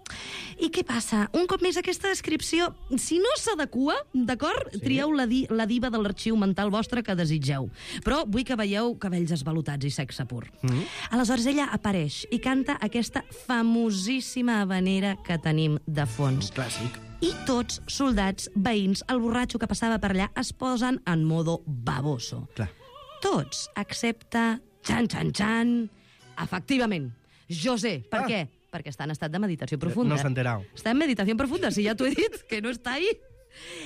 I què passa? Un cop més, aquesta descripció, si no s'adequa, d'acord, sí. trieu la, di la diva de l'arxiu mental vostre que desitgeu. Però vull que veieu cabells esvalotats i sexe pur. Mm -hmm. Aleshores, ella apareix i canta aquesta famosíssima habanera que tenim de fons. Clàssic. I tots, soldats, veïns, el borratxo que passava per allà, es posen en modo baboso. Clar. Tots, excepte... Xan, xan, xan... Efectivament, José. Per Ah. què? Perquè està en estat de meditació profunda. No s'ha enterat. Està en meditació profunda, si ja t'ho he dit, que no està ahí.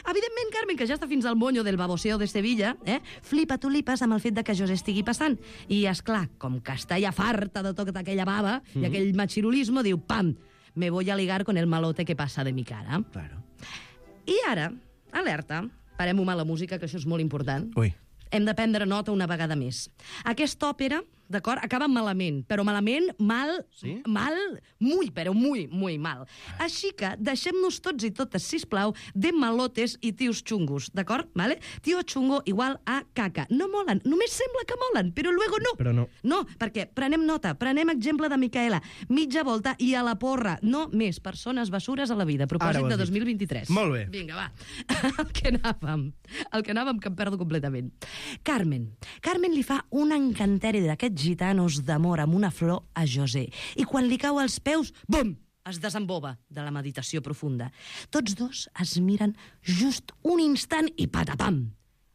Evidentment, Carmen, que ja està fins al moño del baboseo de Sevilla, eh? flipa tulipes amb el fet de que José estigui passant. I, és clar, com que està ja farta de tota aquella bava mm -hmm. i aquell machirulismo, diu, pam, me voy a ligar con el malote que passa de mi cara. Claro. I ara, alerta, parem-ho amb la música, que això és molt important. Ui. Hem de prendre nota una vegada més. Aquesta òpera, d'acord, acaba malament, però malament, mal, Sí? mal, muy, però muy, muy mal. Així que deixem-nos tots i totes, sisplau, de malotes i tios xungos, d'acord? Vale? Tio xungo igual a caca. No molen, només sembla que molen, però luego no. Però no. No, perquè prenem nota, prenem exemple de Micaela, mitja volta i a la porra. No més persones bessures a la vida. Ara Propòsit ho has de dit. dos mil vint-i-tres. Molt bé. Vinga, va. El que anàvem. El que anàvem, que em perdo completament. Carmen. Carmen li fa un encanteri d'aquests gitanos d'amor amb una flor a José. I quan li cau als peus, bum! Es desemboba de la meditació profunda. Tots dos es miren just un instant i patapam!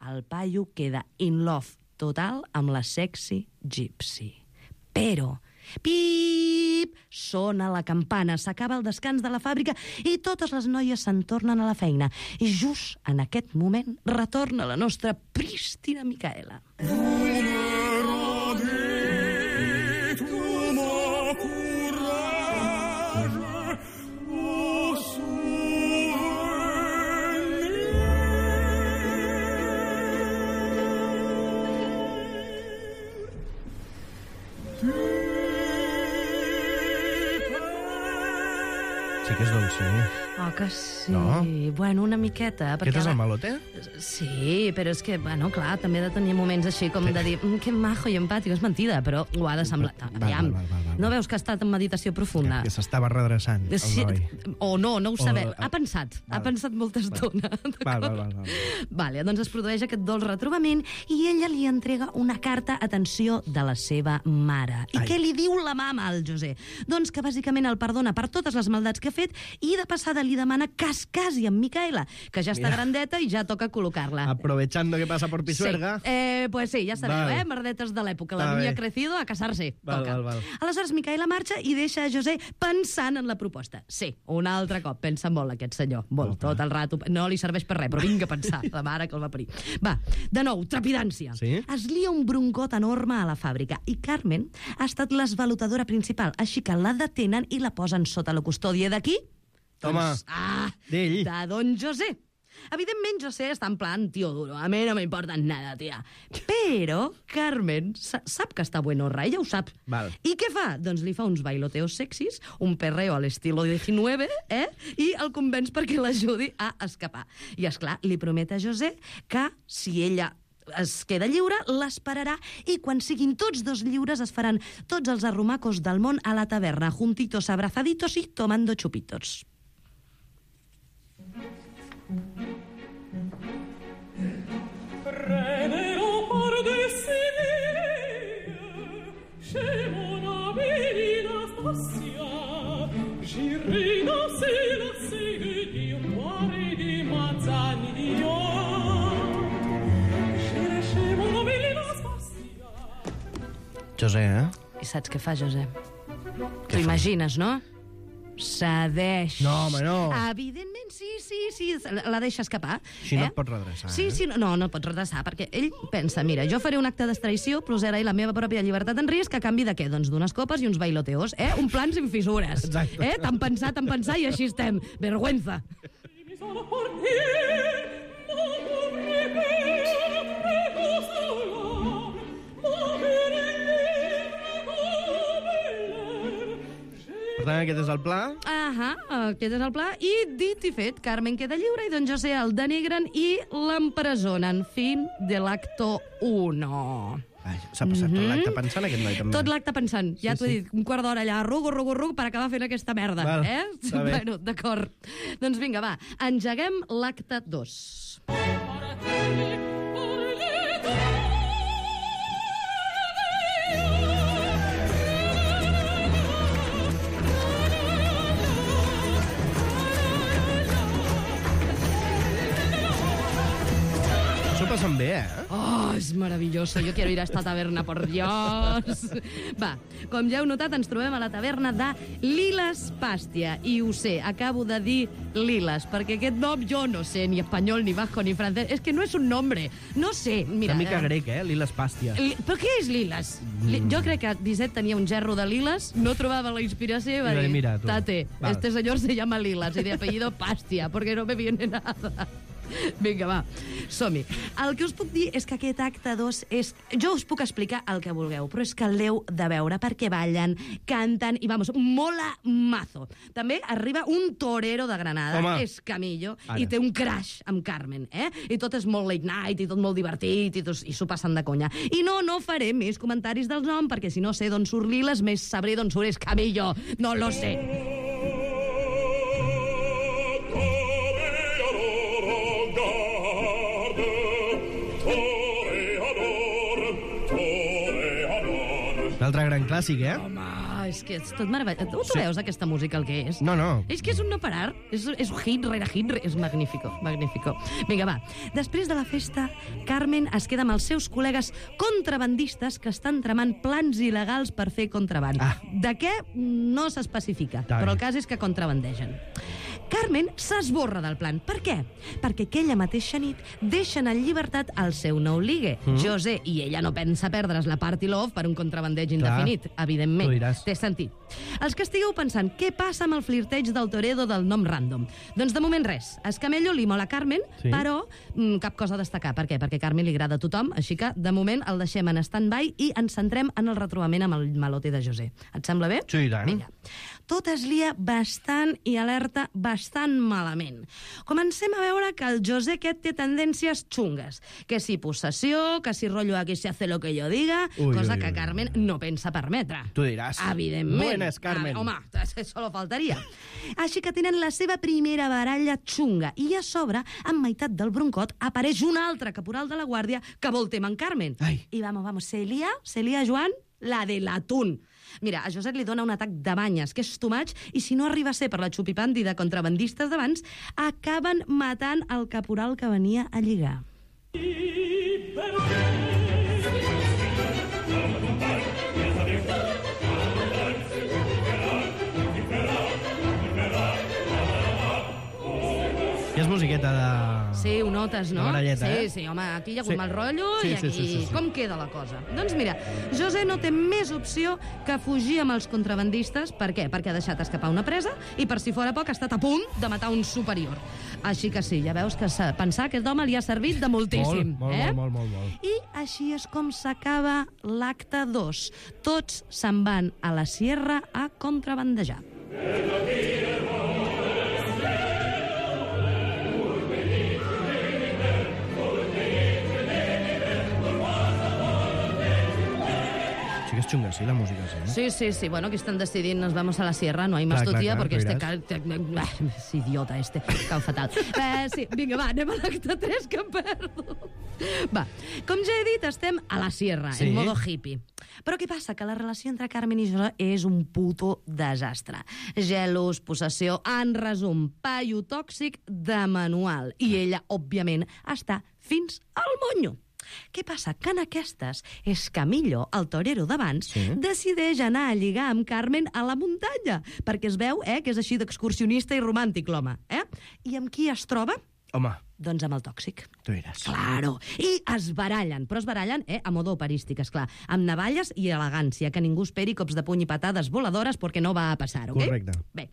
El paio queda in love total amb la sexy gypsy. Però, pip, sona la campana, s'acaba el descans de la fàbrica i totes les noies se'n tornen a la feina. I just en aquest moment retorna la nostra prístina Micaela. Sí que és dolça, eh? Oh, que sí. No? Bueno, una miqueta. Aquest és la- el malote? Sí, però és que, bueno, clar, també ha de tenir moments així com de dir mm, que majo i empàtic, és mentida, però ho ha de semblar... Val, Aviam, val, val, val, no val. veus que ha estat en meditació profunda? Que s'estava redreçant, el Sí, noi. o no, no ho sabem. O- Ha pensat, ha Val. pensat molta estona. Val, val, val, val. Vale, doncs es produeix aquest dolç retrobament i ella li entrega una carta, atenció, de la seva mare. I Ai. què li diu la mama al José? Doncs que bàsicament el perdona per totes les maldats que ha fet i de passada li demana que es casi amb Micaela, que ja està Mira. grandeta i ja toca col·locar-la. Aprovechando que pasa por Pisuerga. Sí. Eh, pues sí, ja sabeu, Vale. eh? Merdetes de l'època. La Va niña bé. ha crecido a casarse. Val, Toca. val, val. Aleshores, Micaela marxa i deixa a José pensant en la proposta. Sí, un altre cop. Pensa molt, aquest senyor. Molt, Opa. tot el rato. No li serveix per res, però vinga a pensar. La mare que el va parir. Va, de nou, trepidància. Sí? Es lia un broncot enorme a la fàbrica i Carmen ha estat l'esvalutadora principal, així que la detenen i la posen sota la custòdia d'aquí? Home, Doncs, ah, d'ell. de don José. Evidentment, José està en plan, tío duro, a mi no me importa nada, tia. Però Carmen sa sap que està buenorra, ella ho sap. Val. I què fa? Doncs li fa uns bailoteos sexis, un perreo a l'estilo diecinueve, eh? I el convenç perquè l'ajudi a escapar. I, esclar, li promet a José que si ella es queda lliure, l'esperarà i quan siguin tots dos lliures es faran tots els arrumacos del món a la taverna, juntitos, abrazaditos y tomando chupitos. José, eh? I saps què fa, José? T'ho imagines, no? Cedeix. No, home, no. Evidentment, sí, sí, sí, la deixa escapar. Així no et pots redreçar, Sí, eh? sí, no, no et pots redreçar, perquè ell pensa, mira, jo faré un acte d'extraició, posaré la meva pròpia llibertat en risc a canvi de què? Doncs d'unes copes i uns bailoteos, eh? Un plan sin fissures. Exacte. Eh? Tan pensar, tan pensar, i així estem. Vergüenza. Per tant, aquest és el pla. Ahà, aquest és el pla. I dit i fet, Carmen queda lliure i don José el denigren i l'empresonen. Fin de l'acto uno. Ai, s'ha passat tot l'acte pensant, aquest noi, també. Tot l'acte pensant. Ja Sí, t'ho he sí. dit, un quart d'hora allà, rugo, rugo, rugo, per acabar fent aquesta merda. Val, eh? està bé. Bueno, d'acord. Doncs vinga, va, engeguem l'acte dos. S'ho passen bé, eh? Oh, és maravilloso. Jo quiero ir a esta taverna, por Dios. Va, com ja heu notat, ens trobem a la taverna de Lilas Pastia. I ho sé, acabo de dir Lilas, perquè aquest nom jo no sé, ni espanyol, ni basco, ni francès. És que no és un nombre. No sé, mira... Una mica eh, grec, eh? Lilas Pastia. Li... Però què és Lilas? Li... Jo crec que Bizet tenia un gerro de Lilas, no trobava la inspiració i va I va dir, dir, "Mira, tu". tate, Val. este señor se llama Lilas y de apellido Pastia, porque no me viene nada. Vinga, va, som-hi. El que us puc dir és que aquest acte dos és... Jo us puc explicar el que vulgueu, però és que l'heu de veure perquè ballen, canten i, vamos, mola mazo. També arriba un torero de Granada, Home. és Camillo, Ara. i té un crash amb Carmen, eh? I tot és molt late night i tot molt divertit i, tot, i s'ho passen de conya. I no, no faré més comentaris del nom perquè si no sé d'on surt Lilas, més sabré d'on surt és Camillo. No lo sé. Un altre gran clàssic, eh? Home, és que és tot meravellós. Tu, tu Sí. veus aquesta música, el que és? No, no. És que és un no parar. És, és un hit rere hit. És magnífico, magnífico. Vinga, va. Després de la festa, Carmen es queda amb els seus col·legues contrabandistes que estan tramant plans il·legals per fer contraband. Ah. De què? No s'especifica, Està però bé. el cas és que contrabandegen. Carmen s'esborra del plan. Per què? Perquè aquella mateixa nit deixen en llibertat el seu nou ligue, mm. José, i ella no pensa perdre's la party love per un contrabandeig indefinit, evidentment. tu diràs. Té sentit. Els que estigueu pensant què passa amb el flirteig del Toredo del nom random. Doncs de moment res. Escamello li mola Carmen, Sí. però mm, cap cosa a destacar. Per què? Perquè Carmen li agrada a tothom, així que de moment el deixem en stand-by i ens centrem en el retrobament amb el malote de José. Et sembla bé? Sí, i tant. Vinga. Tot es lia bastant i alerta bastant malament. Comencem a veure que el José aquest té tendències xungues. Que si possessió, que si rotllo aquí se hace lo que yo diga, Ui, cosa ui, que ui, Carmen no pensa permetre. Tu diràs. Evidentment. Buenas, Carmen. Ah, home, solo faltaria. Així que tenen la seva primera baralla xunga i a sobre, en meitat del broncot, apareix un altre caporal de la guàrdia que vol tema en Carmen. Ai. I vamos, vamos, se lia, se lia, Joan, la de l'atún. Mira, a Josep li dona un atac de banyes, que és too much, i si no arriba a ser per la xupipandi de contrabandistes d'abans, acaben matant el caporal que venia a lligar. I és musiqueta de... Sí, ho notes, no? La baralleta, sí, eh? sí, home, aquí hi ha hagut Sí. mal rotllo Sí, i sí, aquí... sí, sí, sí. Com queda la cosa? Doncs mira, José no té més opció que fugir amb els contrabandistes. Per què? Perquè ha deixat escapar una presa i, per si fora poc, ha estat a punt de matar un superior. Així que sí, ja veus que sa- pensar aquest home li ha servit de moltíssim. Molt, molt, eh? molt, molt, molt. I així és com s'acaba l'acte dos. Tots se'n van a la sierra a contrabandejar. Sí que és xunga, sí, la música, sí. Eh? Sí, sí, sí. Bueno, que están decidiendo, nos vamos a la sierra, no hay más Clar, tu clar, tía, clar, porque tu este... diràs. Cal... Ah, és idiota, este. Cau fatal. Eh, sí, vinga, va, anem a l'acte tres, que em perdo. Va, com ja he dit, estem a la sierra, Sí. en modo hippie. Però què passa? Que la relació entre Carmen i José és un puto desastre. Gelos, possessió, en resum, paio tòxic de manual. I ella, òbviament, està fins al monyo. Què passa? Que en aquestes és Camillo, el torero d'abans, sí. decideix anar a lligar amb Carmen a la muntanya, perquè es veu eh, que és així d'excursionista i romàntic, l'home. Eh? I amb qui es troba? Home, Doncs amb el tòxic. tu diràs. Claro. I es barallen, però es barallen eh, a modo operístic, esclar, amb navalles i elegància, que ningú esperi cops de puny i patades voladores perquè no va a passar, ok? Correcte. Bé,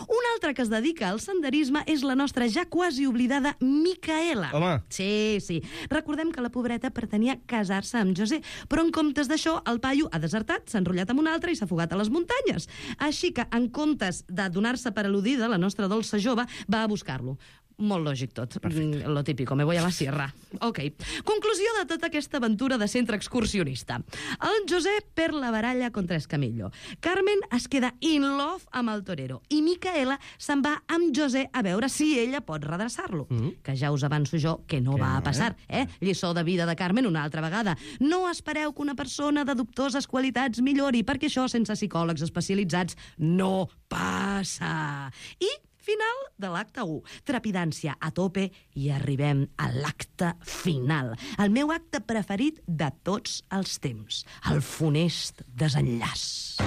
una altra que es dedica al senderisme és la nostra ja quasi oblidada Micaela. Home. Sí, sí. Recordem que la pobreta pretenia casar-se amb José, però en comptes d'això, el paio ha desertat, s'ha enrotllat amb un altre i s'ha fugat a les muntanyes. Així que, en comptes de donar-se per al·ludida, la nostra dolça jove va a buscar-lo. Molt lògic tot. Mm, Lo típico, me voy a la sierra. Ok. Conclusió de tota aquesta aventura de centre excursionista. El José perd la baralla contra Escamillo. Carmen es queda in love amb el torero. I Micaela se'n va amb José a veure si ella pot redreçar-lo. Mm. Que ja us avanço jo que no Que va no, a passar. Eh? Lliçó de vida de Carmen una altra vegada. No espereu que una persona de dubtoses qualitats millori, perquè això, sense psicòlegs especialitzats, no passa. I final de l'acte u. Trepidància a tope i arribem a l'acte final. El meu acte preferit de tots els temps. El funest desenllaç.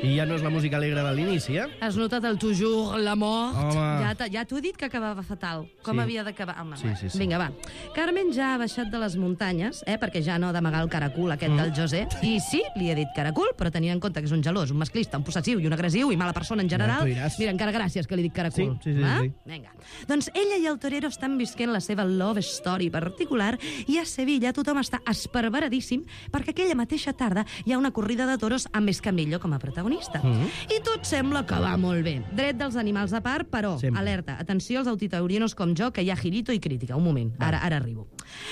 I ja no és la música alegre de l'inici, eh? Has notat el toujours, la mort? Home. Ja, t'ha- ja t'ho he dit que acabava fatal. Com Sí. havia d'acabar? Home, Sí, va. sí, sí. Vinga, va. Carmen ja ha baixat de les muntanyes, eh, perquè ja no ha d'amagar el caracul aquest mm. del José. I sí, li he dit caracul, però tenint en compte que és un gelós, un masclista, un possessiu i un agressiu i mala persona en general, Ja, tu diràs. mira, encara gràcies que li dic caracul. Sí, sí, sí, va? sí. Vinga. Doncs ella i el torero estan visquent la seva love story particular i a Sevilla tothom està esperveradíssim perquè aquella mateixa tarda hi ha una corrida de toros amb Escamillo com a protagonista. Mm. I tot sembla que va molt bé. Dret dels animals a part, però, Sempre. alerta, atenció als autitaurinos com jo, que hi ha girito i crítica. Un moment, ara, ara arribo.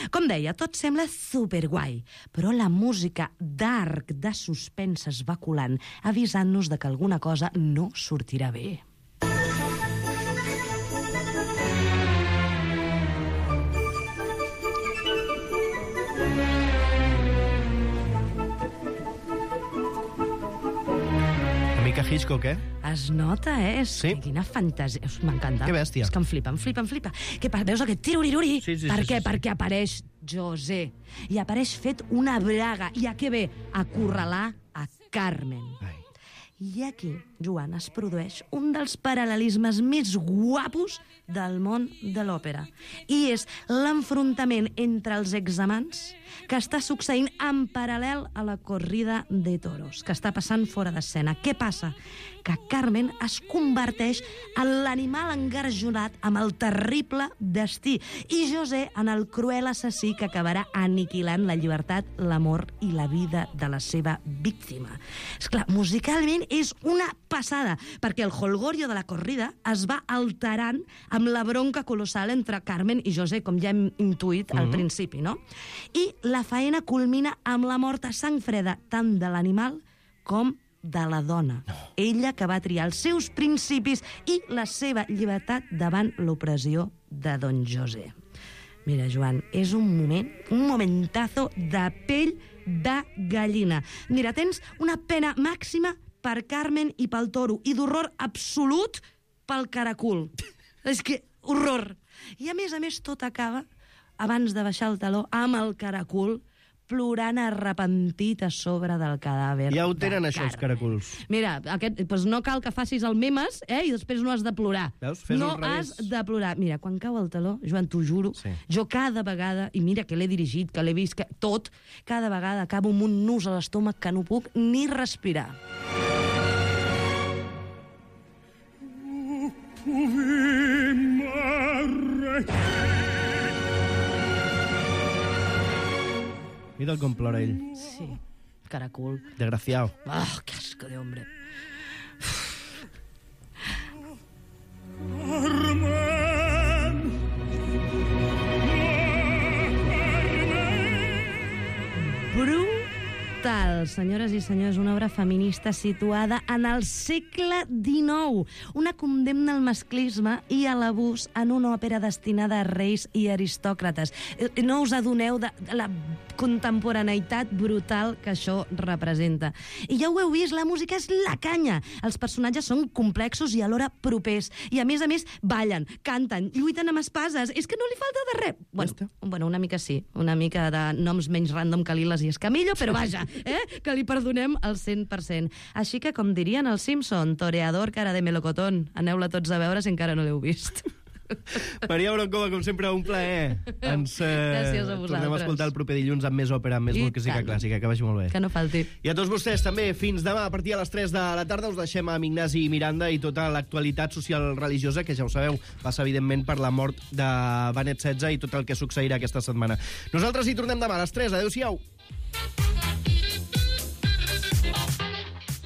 Com deia, tot sembla superguai, però la música d'arc de suspens es va colant, avisant-nos de que alguna cosa no sortirà bé. Una mica Hitchcock, eh? Es nota, eh? És... Sí. Quina fantasia. Us- M'encanta. Que bèstia. És que em flipa, em flipa, em flipa. Què passa? Veus aquest tiruriruri? Sí, sí, per sí, què? sí, sí. Perquè apareix José. I apareix fet una braga. I a què ve? A corralar a Carmen. Ai. I aquí, Joan, es produeix un dels paral·lelismes més guapos del món de l'òpera. I és l'enfrontament entre els examants que està succeint en paral·lel a la corrida de toros, que està passant fora d'escena. Què passa? Que Carmen es converteix en l'animal engarjonat amb el terrible destí i José en el cruel assassí que acabarà aniquilant la llibertat, l'amor i la vida de la seva víctima. Esclar, musicalment és una passada, perquè el holgorio de la corrida es va alterant amb la bronca colossal entre Carmen i José, com ja hem intuït al Mhm. principi, no? I la faena culmina amb la mort a sang freda tant de l'animal com de la dona. No. Ella que va triar els seus principis i la seva llibertat davant l'opressió de don José. Mira, Joan, és un moment, un momentazo de pell de gallina. Mira, tens una pena màxima per Carmen i pel toro i d'horror absolut pel caracul. És que, horror. I a més a més tot acaba abans de baixar el taló, amb el caracol, plorant arrepentit a sobre del cadàver. Ja ho tenen, de això, els Carme. caracols. Mira, aquest, doncs no cal que facis el memes, eh, i després no has de plorar. Veus? Fes-ho no al revés. has de plorar. Mira, quan cau el taló, Joan, t'ho juro, Sí. jo cada vegada, i mira que l'he dirigit, que l'he vist, que tot, cada vegada acabo amb un nus a l'estómac que no puc ni respirar. Mira com plora ell. Sí, caracol. Desgraciado. Ah, qué asco de hombre. Brutal, senyores i senyors, una obra feminista situada en el segle dinou. Una condemna al masclisme i a l'abús en una òpera destinada a reis i aristòcrates. Eh, No us adoneu de de la contemporaneïtat brutal que això representa. I ja ho heu vist, la música és la canya. Els personatges són complexos i alhora propers. I a més a més ballen, canten, lluiten amb espases. És que no li falta de res. Bueno, bueno, una mica sí. Una mica de noms menys random que Liles i Escamillo, però vaja, eh? Que li perdonem el cent per cent. Així que, com dirien els Simpson, toreador cara de melocotón. Aneu-la tots a veure si encara no l'heu vist. Maria Broncova, com sempre, un plaer. Ens eh, Gràcies a tornem a vosaltres. escoltar el proper dilluns amb més òpera, amb més I música tant. clàssica. Que vagi molt bé. Que no falti. I a tots vostès també, fins demà a partir de les tres de la tarda us deixem amb Ignasi Miranda i tota l'actualitat social religiosa, que ja ho sabeu, passa evidentment per la mort de Benet setze i tot el que succeirà aquesta setmana. Nosaltres hi tornem demà a les tres. Adéu-siau.